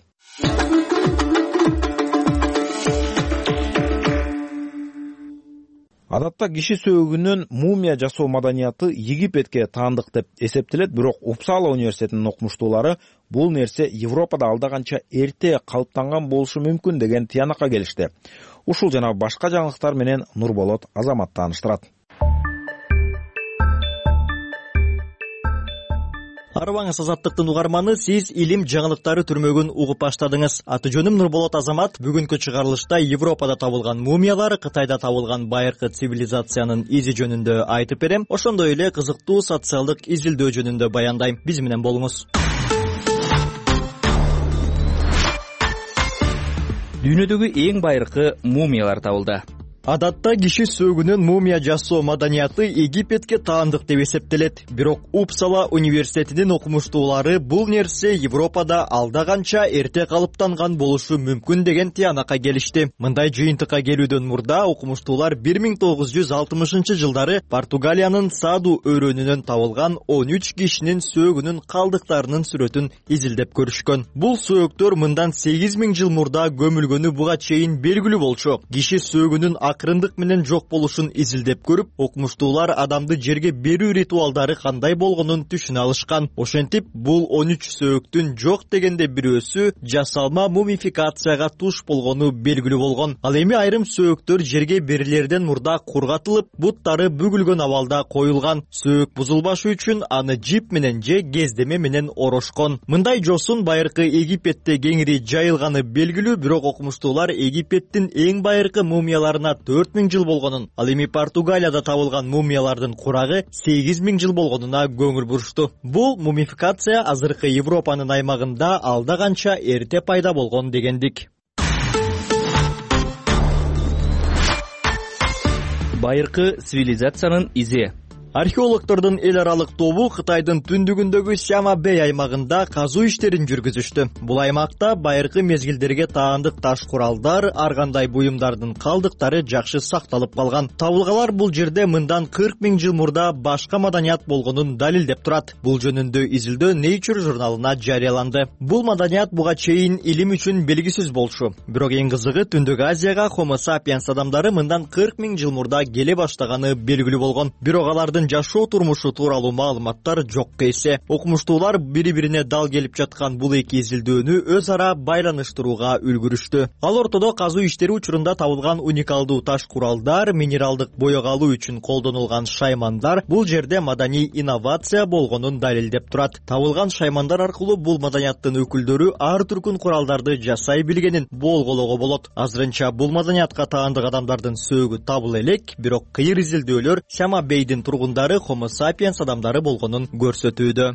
Адатта киши сөөгүнөн мумия жасоо маданияты Египетке таандык деп эсептелет, бирок Упсала университетинин окумуштуулары бул нерсе Европада алда канча эрте калыптанган болушу мүмкүн деген тыянакка келишти. Ушул жана башка жаңылыктар менен Нурболот Азамат тааныштырат. Арыбаңыз Азаттыктын угарманы, сиз илим жаңылыктары түрмөгүн угуп баштадыңыз. Аты жөнүм Нурболот Азамат. Бүгүнкү чыгарылышта Европада табылган мумиялар, Кытайда табылган байыркы цивилизациянын изи жөнүндө айтып берем. Ошондой эле кызыктуу социалдык изилдөө жөнүндө баяндайм. Биз менен болуңуз. Дүйнөдөгү эң байыркы мумиялар табылды. Адатта киши сөөгүнөн мумия жасоо маданияты Египетке таандык деп эсептелет. Бирок Упсала университетинин окумуштуулары бул нерсе Европада алда канча эрте калыптанган болушу мүмкүн деген тыянакка келишти. Мындай жыйынтыкка келүүдөн мурда окумуштуулар 1960-жылдары Португалиянын Саду өрөөнүнөн табылган 13 кишинин сөөгүнүн калдыктарынын сүрөтүн изилдеп көрүшкөн. Бул сөөктөр мындан 8000 жыл мурда көмүлгөнү буга чейин белгилүү болчу. Киши сөөгүнүн акырындык менен жок болушун изилдеп көрүп, окумуштуулар адамды жерге берүү ритуалдары кандай болгонун түшүнө алышкан. Ошентип, бул 13 сөөктүн жок дегенде бирөөсү жасалма мумификацияга туш болгону белгилүү болгон. Ал эми айрым сөөктөр жерге берилерден мурда кургатылып, буттары бүгүлгөн абалда коюлган. Сөөк бузулбашы үчүн аны жип менен же кездеме менен орошкон. Мындай жосун байыркы Египетте кеңири жайылганы белгилүү, бирок окумуштуулар Египеттин эң байыркы мумияларына 4000 жыл болгонун, ал эми Португалияда табылган мумиялардын курагы 8000 жыл болгонуна көңүл бурушту. Бул мумификация азыркы Европанын аймагында алда канча эрте пайда болгон дегендик. Байыркы цивилизациянын изи. Археологдордун эл аралык тобу Кытайдын түндүгүндөгү Сяма-Бэй аймагында казуу иштерин жүргүзүштү. Бул аймакта байыркы мезгилдерге таандык таш куралдар, ар кандай буюмдардын калдыктары жакшы сакталып калган. Табылгалар бул жерде мындан 40 000 жыл мурда башка маданият болгонун далилдеп турат. Бул жөнүндө изилдөө Nature журналына жарыяланды. Бул маданият буга чейин илим үчүн белгисиз болчу. Бирок эң кызыгы Түндүк Азияга Homo sapiens адамдары мындан 40 000 жыл мурда келе баштаганы белгилүү болгон. Бирок алардын жашоо турмушу тууралуу маалыматтар жокко эсе. Окумуштуулар бири-бирине дал келип жаткан бул эки изилдөөнү өз ара байланыштырууга үлгүрүштү. Ал ортодо казуу иштери учурунда табылган уникалдуу таш куралдар, минералдык боек алуу үчүн колдонулган шаймандар бул жерде маданий инновация болгонун далилдеп турат. Табылган шаймандар аркылуу бул маданияттын өкүлдөрү ар түркүн куралдарды жасай билгенин болгоого болот. Азырынча бул маданиятка таандык адамдардын сөөгү табыла элек, бирок кыйыр изилдөөлөр Сяма-Бэйдин тургундары Homo sapiens адамдары болгонун көрсөтүүдө.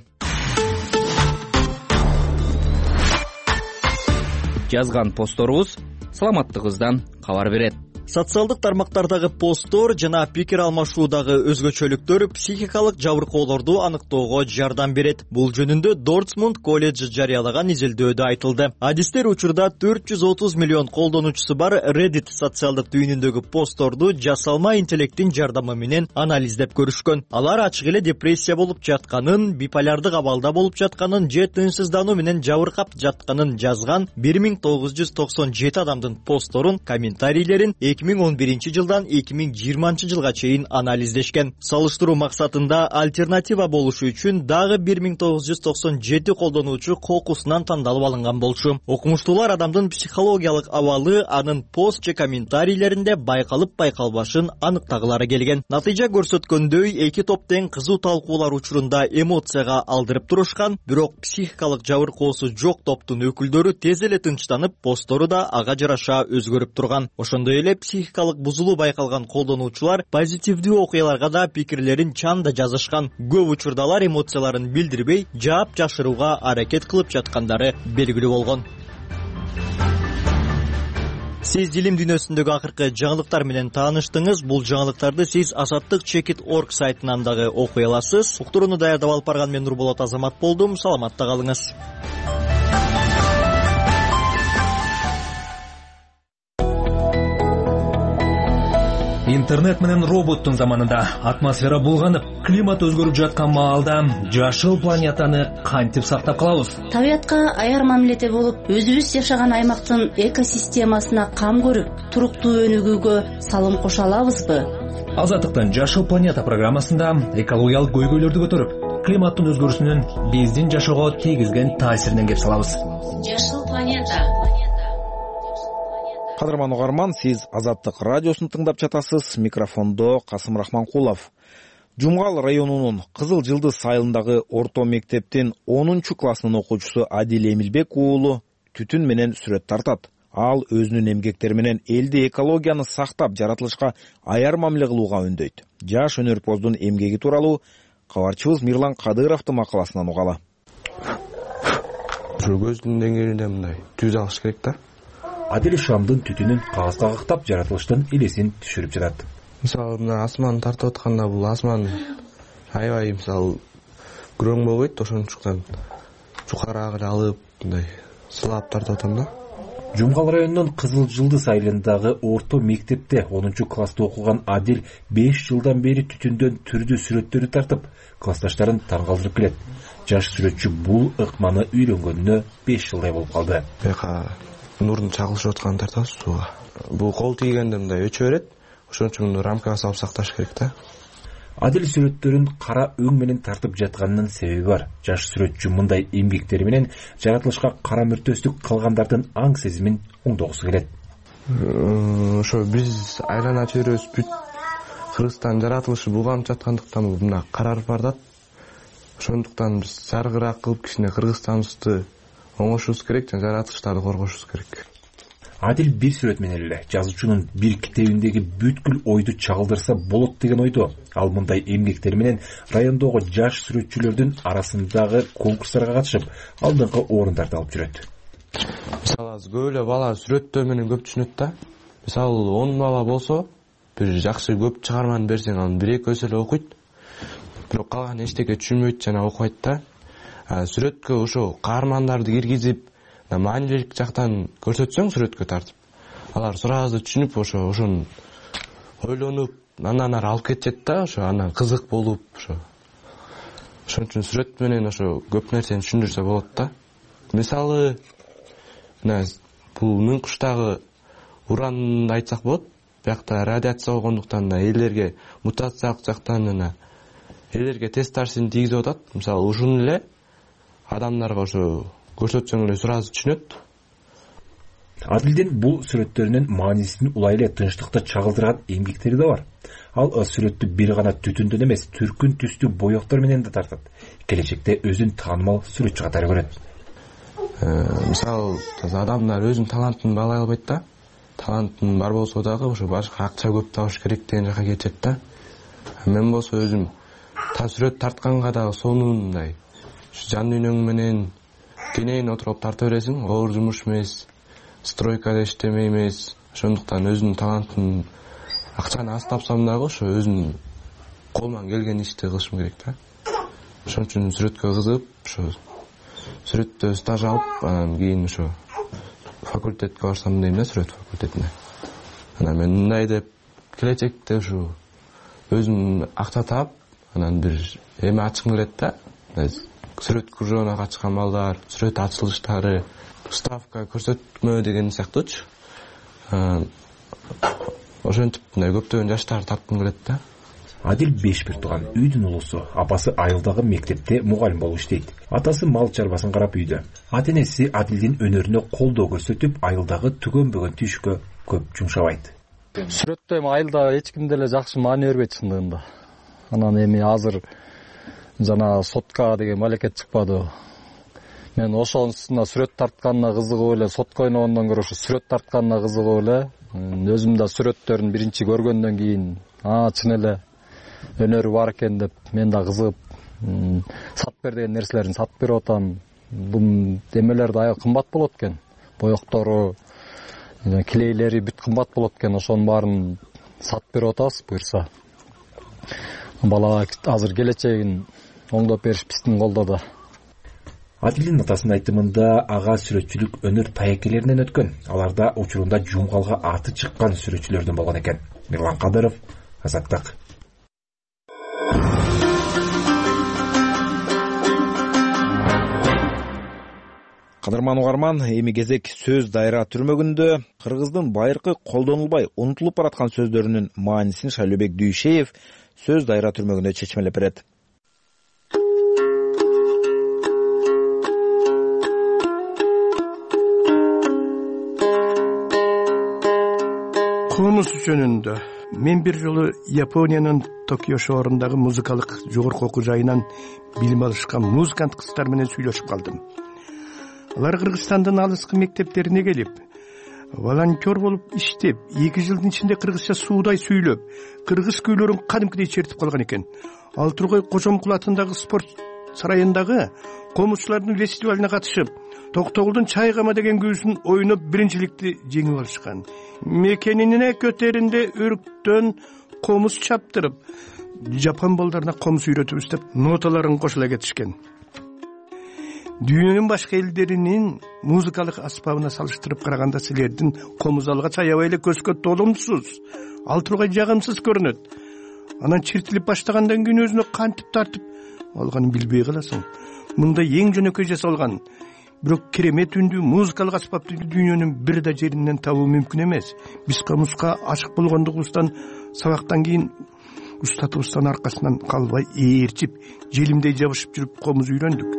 Жазган постторубуз саламаттыгыңыздан кабар берет. Социалдык тармактардагы посттор жана пикир алмашуудагы өзгөчөлүктөр психикалык жабыркоолорду аныктоого жардам берет. Бул жөнүндө Дортмунд колледжи жарыялаган изилдөөдө айтылды. Адистер учурда 430 миллион колдонуучусу бар Reddit социалдык түйүнүндөгү постторду жасалма интеллекттин жардамы менен анализдеп көрүшкөн. Алар ачык эле депрессия болуп жатканын, биполярдык абалда болуп жатканын же тынчсыздануу менен жабыркап жатканын жазган 1997 адамдын постторун, комментарийлерин 2011 жылдан 2020 жылга чейин анализдешкен. Салыштыруу максатында альтернатива болушу үчүн дагы 1997 колдонуучу кокусунан тандалып алынган болчу. Окумуштуулар адамдын психологиялык абалы анын пост же комментарийлеринде байкалып байкалбашын аныктагылары келген. Натыйжа көрсөткөндөй, эки топ тең кызуу талкуулар учурунда эмоцияга алдырып турушкан, бирок психикалык жабыркоосу жок топтун өкүлдөрү тез эле тынчтанып, посттору да ага жараша өзгөрүп турган. Ошондой эле психикалык бузулуу байкалган колдонуучулар позитивдүү окуяларга да пикирлерин чанда жазышкан. Көп учурда алар эмоцияларын билдирбей, жаап жашырууга аракет кылып жаткандары белгилүү болгон. Сиз илим дүйнөсүндөгү акыркы жаңылыктар менен тааныштыңыз. Бул жаңылыктарды сиз azattik.org сайтынан дагы окуй аласыз. Уктурууну даярдап алып барган мен Нурболот Азамат болдум. Саламатта калыңыз. Интернет менен роботтун заманында атмосфера булганып, климат өзгөрүп жаткан маалда жашыл планетаны кантип сактап калабыз? Табиятка аяр мамиледе болуп, өзүбүз жашаган аймактын экосистемасына кам көрүп, туруктуу өнүгүүгө салым кошо алабызбы? Азаттыктын Жашыл планета программасында экологиялык көйгөйлөрдү көтөрүп, климаттын өзгөрүүсүнүн биздин жашоого тийгизген таасиринен кеп салабыз. Жашыл планета. Кадырман угарман, сиз Азаттык радиосун тыңдап жатасыз. Микрофондо Касым Рахманкулов. Жумгал районунун Кызыл Жылдыз айылындагы орто мектептин 10-классынын окуучусу Адил Эмилбек уулу түтүн менен сүрөт тартат. Ал өзүнүн эмгектери менен элди экологияны сактап, жаратылышка аяр мамиле кылууга үндөйт. Жаш өнөрпоздун эмгеги тууралуу кабарчыбыз Мирлан Кадыровдун макаласынан угалы. Көздүн деңгээлинде мындай түз алыш керек да. Адил шамдын түтүнүн кагазга кактап, жаратылыштын элесин түшүрүп жатат. Мисалы, мына асман тартып атканда бул асман аябай мисалы күрөң болбойт, ошондуктан жукараагы алып мындай сылап тартып атам да. Жумгал районунун Кызыл Жылдыз айылындагы орто мектепте 10-класста окуган Адил 5 жылдан бери түтүндөн түрдүү сүрөттөрү тартып, классташтарын таң калтырып келет. Жаш сүрөтчү бул ыкманы үйрөнгөнүнө 5 жылдай болуп калды. Нурдун чагылышып атканын тартабыз сууга. Бул кол тийгенде мындай өчө берет. Ошон үчүн муну рамкага салып сакташ керек да. Адил сүрөттөрүн кара өң менен тартып жатканынын себеби бар. Жаш сүрөтчү мындай эмгектери менен жаратылышка кара мүртөстүк кылгандардын аң сезимин оңдогусу келет. Ошо биз айлана чөйрөбүз бүт Кыргызстан жаратылышы булганып жаткандыктан мына карарып бардат. Ошондуктан биз жаргыраак кылып кичине Кыргызстаныбызды оңошубуз керек, жана жаратылыштарды коргошубуз керек. Адил бир сүрөт менен эле жазуучунун бир китебиндеги бүткүл ойду чагылдырса болот деген ойдо. Ал мындай эмгектери менен райондогу жаш сүрөтчүлөрдүн арасындагы конкурстарга катышып, алдыңкы орундарды алып жүрөт. Мисалы, көп эле бала сүрөттөр менен көп түшүнөт да. Мисалы, 10 бала болсо, бир жакшы көп чыгарманы берсең, аны 1-2 эле окуйт. Бирок калган эчтеке түшүнбөйт жана окубайт да. Сүрөткө ошо каармандарды киргизип, маанилүүлүк жактан көрсөтсөң сүрөткө тартып, алар сразу түшүнүп, ошону ойлонуп, андан ары алып кетет да, ошо андан кызык болуп, ошон үчүн сүрөт менен ошо көп нерсени түшүндүрсө болот да. Мисалы, бул Мюнхштагы уранды айтсак болот. Биякта радиация болгондуктан элдерге мутациялык жактан элдерге тест таасирин тийгизип атат. Мисалы, ушуну эле адамдарга ошо көрсөтсөң эле сразу түшүнөт. Адилдин бул сүрөттөрүнүн маанисин улай эле тынчтыкта чагылдырган эмгектери да бар. Ал сүрөттү бир гана түтүндөн эмес, түркүн түстүү боектор менен да тартат. Келечекте өзүн таанымал сүрөтчү катары көрөт. Мисалы, адамдар өзүнүн талантын баалай албайт да. Талантын бар болсо дагы ошо башка акча көп табыш керек деген жака кетет да. Мен болсо өзүм сүрөт тартканга дагы сонун мындай жан дүйнөң менен кенен отуруп тарта бересиң. Оор жумуш эмес, стройкада иштемей эмес. ошондуктан өзүнүн талантын акчаны аз тапсам дагы ошо өзүмдүн колуман келген ишти кылышым керек да. Ошон үчүн сүрөткө кызыгып, ошо сүрөттө стаж алып, анан кийин ошо факультетке барсам дейм да, сүрөт факультетине. Анан мен мындай деп келечекте ушу өзүм акча таап, анан бир эме ачкым келет да. Сүрөт кружогуна катышкан балдар, сүрөт ачылыштары, ставка көрсөтмө деген сыяктуучу. Ошентип мындай көптөгөн жаштарды тарткым келет да. Адил 5 бир тууган, үйдүн улусу. Апасы айылдагы мектепте мугалим болуп иштейт. Атасы мал чарбасын карап үйдө. Ата-энеси Адилдин өнөрүнө колдоо көрсөтүп, айылдагы түгөн-бөгөн тийишкө көп жумшабайт. Сүрөттө эми айылда эч ким деле жакшы маани бербейт чындыгында. Анан эми азыр жана сотка деген малекет чыкпады. Мен ошонусуна сүрөт тартканына кызыгып эле, сотко ойногондон көрө ошо сүрөт тартканына кызыгып эле, өзүм да сүрөттөрүн биринчи көргөндөн кийин, чын эле өнөрү бар экен деп мен да кызыгып, сатып бер деген нерселерин сатып берип атам. Бул эмелер да аябай кымбат болот экен. Боектору, килейлери бүт кымбат болот экен. Ошонун баарын сатып берип атабыз буюрса. Балага азыр келечегин оңдоп бериш биздин колдо да. Адилдин атасынын айтымында ага сүрөтчүлүк өнөр таекелеринен өткөн. Аларда учурунда жумгалга аты чыккан сүрөтчүлөрдөн болгон экен. Мирлан Кадыров, Азаттык. Кадырман угарман, эми кезек сөз дайра түрмөгүндө. Кыргыздын байыркы колдонулбай унутулуп бараткан сөздөрүнүн маанисин Шайлообек Дүйшеев сөз дайра түрмөгүндө чечмелеп берет. Комуз жөнүндө мен бир жолу Япониянын Токио шаарындагы музыкалык жогорку окуу жайынан билим алышкан музыкант кыздар менен сүйлөшүп калдым. Алар Кыргызстандын алыскы мектептерине келип, волонтер болуп иштеп, 2 жылдын ичинде кыргызча суудай сүйлөп, кыргыз күйлөрүн кадимкидей чертип калган экен. Ал Тургай Кожомкул атындагы спорт сарайындагы комузчулардын фестивалине катышып, Токтогулдун Чайгама деген күүсүн ойноп биринчиликти жеңип алышкан. Мекенине көтөрүндө өрүктөн комуз чаптырып, жапон балдарына комуз үйрөтүбүз деп ноталарын кошула кетишкен. Дүйнөнүн башка элдеринин музыкалык аспабына салыштырып караганда силердин комуз алгач аябай эле көзгө толумсуз, ал тургай жагымсыз көрүнөт. Анан чертилип баштагандан кийин өзүнө кантип тартып алганын билбей каласың. Мында эң жөнөкөй жасалган, бирок керемет үндүү музыкалык аспапты дүйнөнүн бир да жеринен табуу мүмкүн эмес. Биз комузга ашык болгондугубуздан сабактан кийин устатыбыздын аркасынан калбай ээрчип, желимдей жабышып жүрүп комуз үйрөндүк.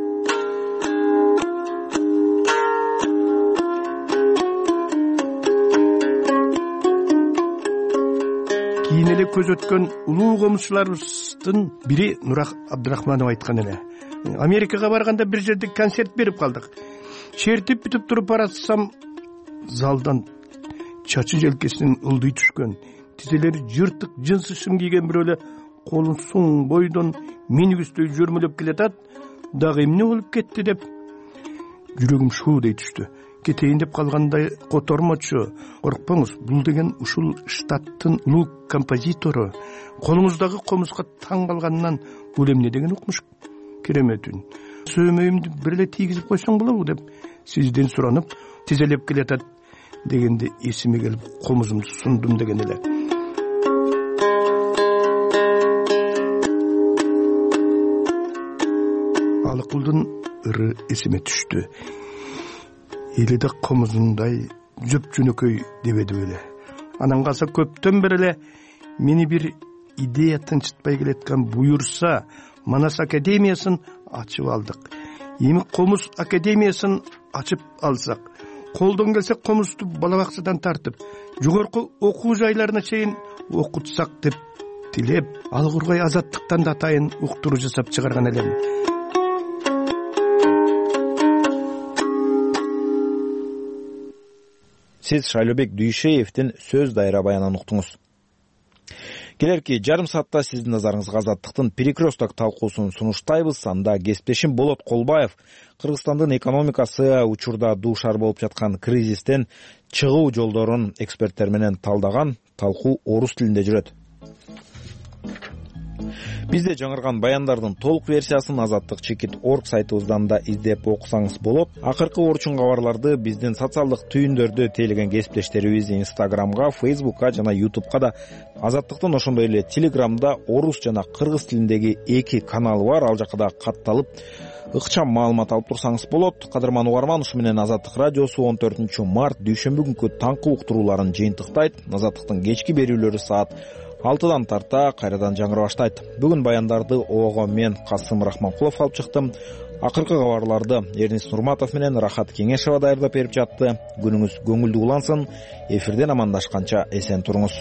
Кийин эле көз өткөн улуу комузчуларыбыздын бири Нурак Абдрахманов айткан эле. Америкага барганда бир жерде концерт берип калдык. Чертип бүтүп туруп баратсам, залдан чачы желкесинен ылдый түшкөн, тизелери жыртык жынсы шым кийген бирөө эле колун суң бойдон минибустөй жөрмөлөп келатат. Дагы эмне болуп кетти деп жүрөгүм шуудей түштү. Кетейин деп калгандай котормочу. Коркпоңуз, бул деген ушул штаттын улуу композитору. Колуңуздагы комузга таң калганынан бул эмне деген укмуш керемет үн. Сөймөйүмдү бир эле тийгизип койсоң болобу деп сизден суранып тизелеп келатат дегенде эсиме келип комузумду сундум деген эле. Алыкулдун ыры эсиме түштү. Эли да комузундай жөп-жөнөкөй дебеди беле. Анан калса көптөн бери эле мени бир идея тынчытпай келеткан буюрса, Манас академиясын ачып алдык. Эми комуз академиясын ачып алсак, колдон келсе комузду бала бакчадан тартып, жогорку окуу жайларына чейин окутсак деп тилеп, ал кургай Азаттыктан да атайын уктуруу жасап чыгарган элем. Сиз Шайлообек Дүйшеевдин сөз дайра баянын уктуңуз. Келерки жарым саатта сиздин назарыңызга Азаттыктын перекресток талкуусун сунуштайбыз. Анда кесиптешим Болот Колбаев Кыргызстандын экономикасы учурда дуушар болуп жаткан кризистен чыгуу жолдорун эксперттер менен талдаган. Талкуу орус тилинде жүрөт. Бизде жаңырган баяндардын толук версиясын azattik.org сайтыбыздан да издеп окусаңыз болот. Акыркы орчун кабарларды биздин социалдык түйүндөрдө тейлеген кесиптештерибиз Instagramга, Facebookка жана YouTube'ка да, Азаттыктын ошондой эле Telegramда орус жана кыргыз тилиндеги 2 каналы бар. Ал жака да катталып ыкчам маалымат алып турсаңыз болот. Кадырман угарман, ушу менен Азаттык радиосу 14 март дүйшөмбү күнкү таңкы уктурууларын жыйынтыктайт. Азаттыктын кечки берүүлөрү саат 6-дан тарта кайрадан жаңыра баштайт. Бүгүн баяндарды ого мен Касым Рахманкулов алып чыктым. Акыркы кабарларды Эрнис Нурматов менен Рахат Кеңешова даярдап берип жатты. Күнүңүз көңүлдүү улансын. Эфирден амандашканча эсен туруңуз.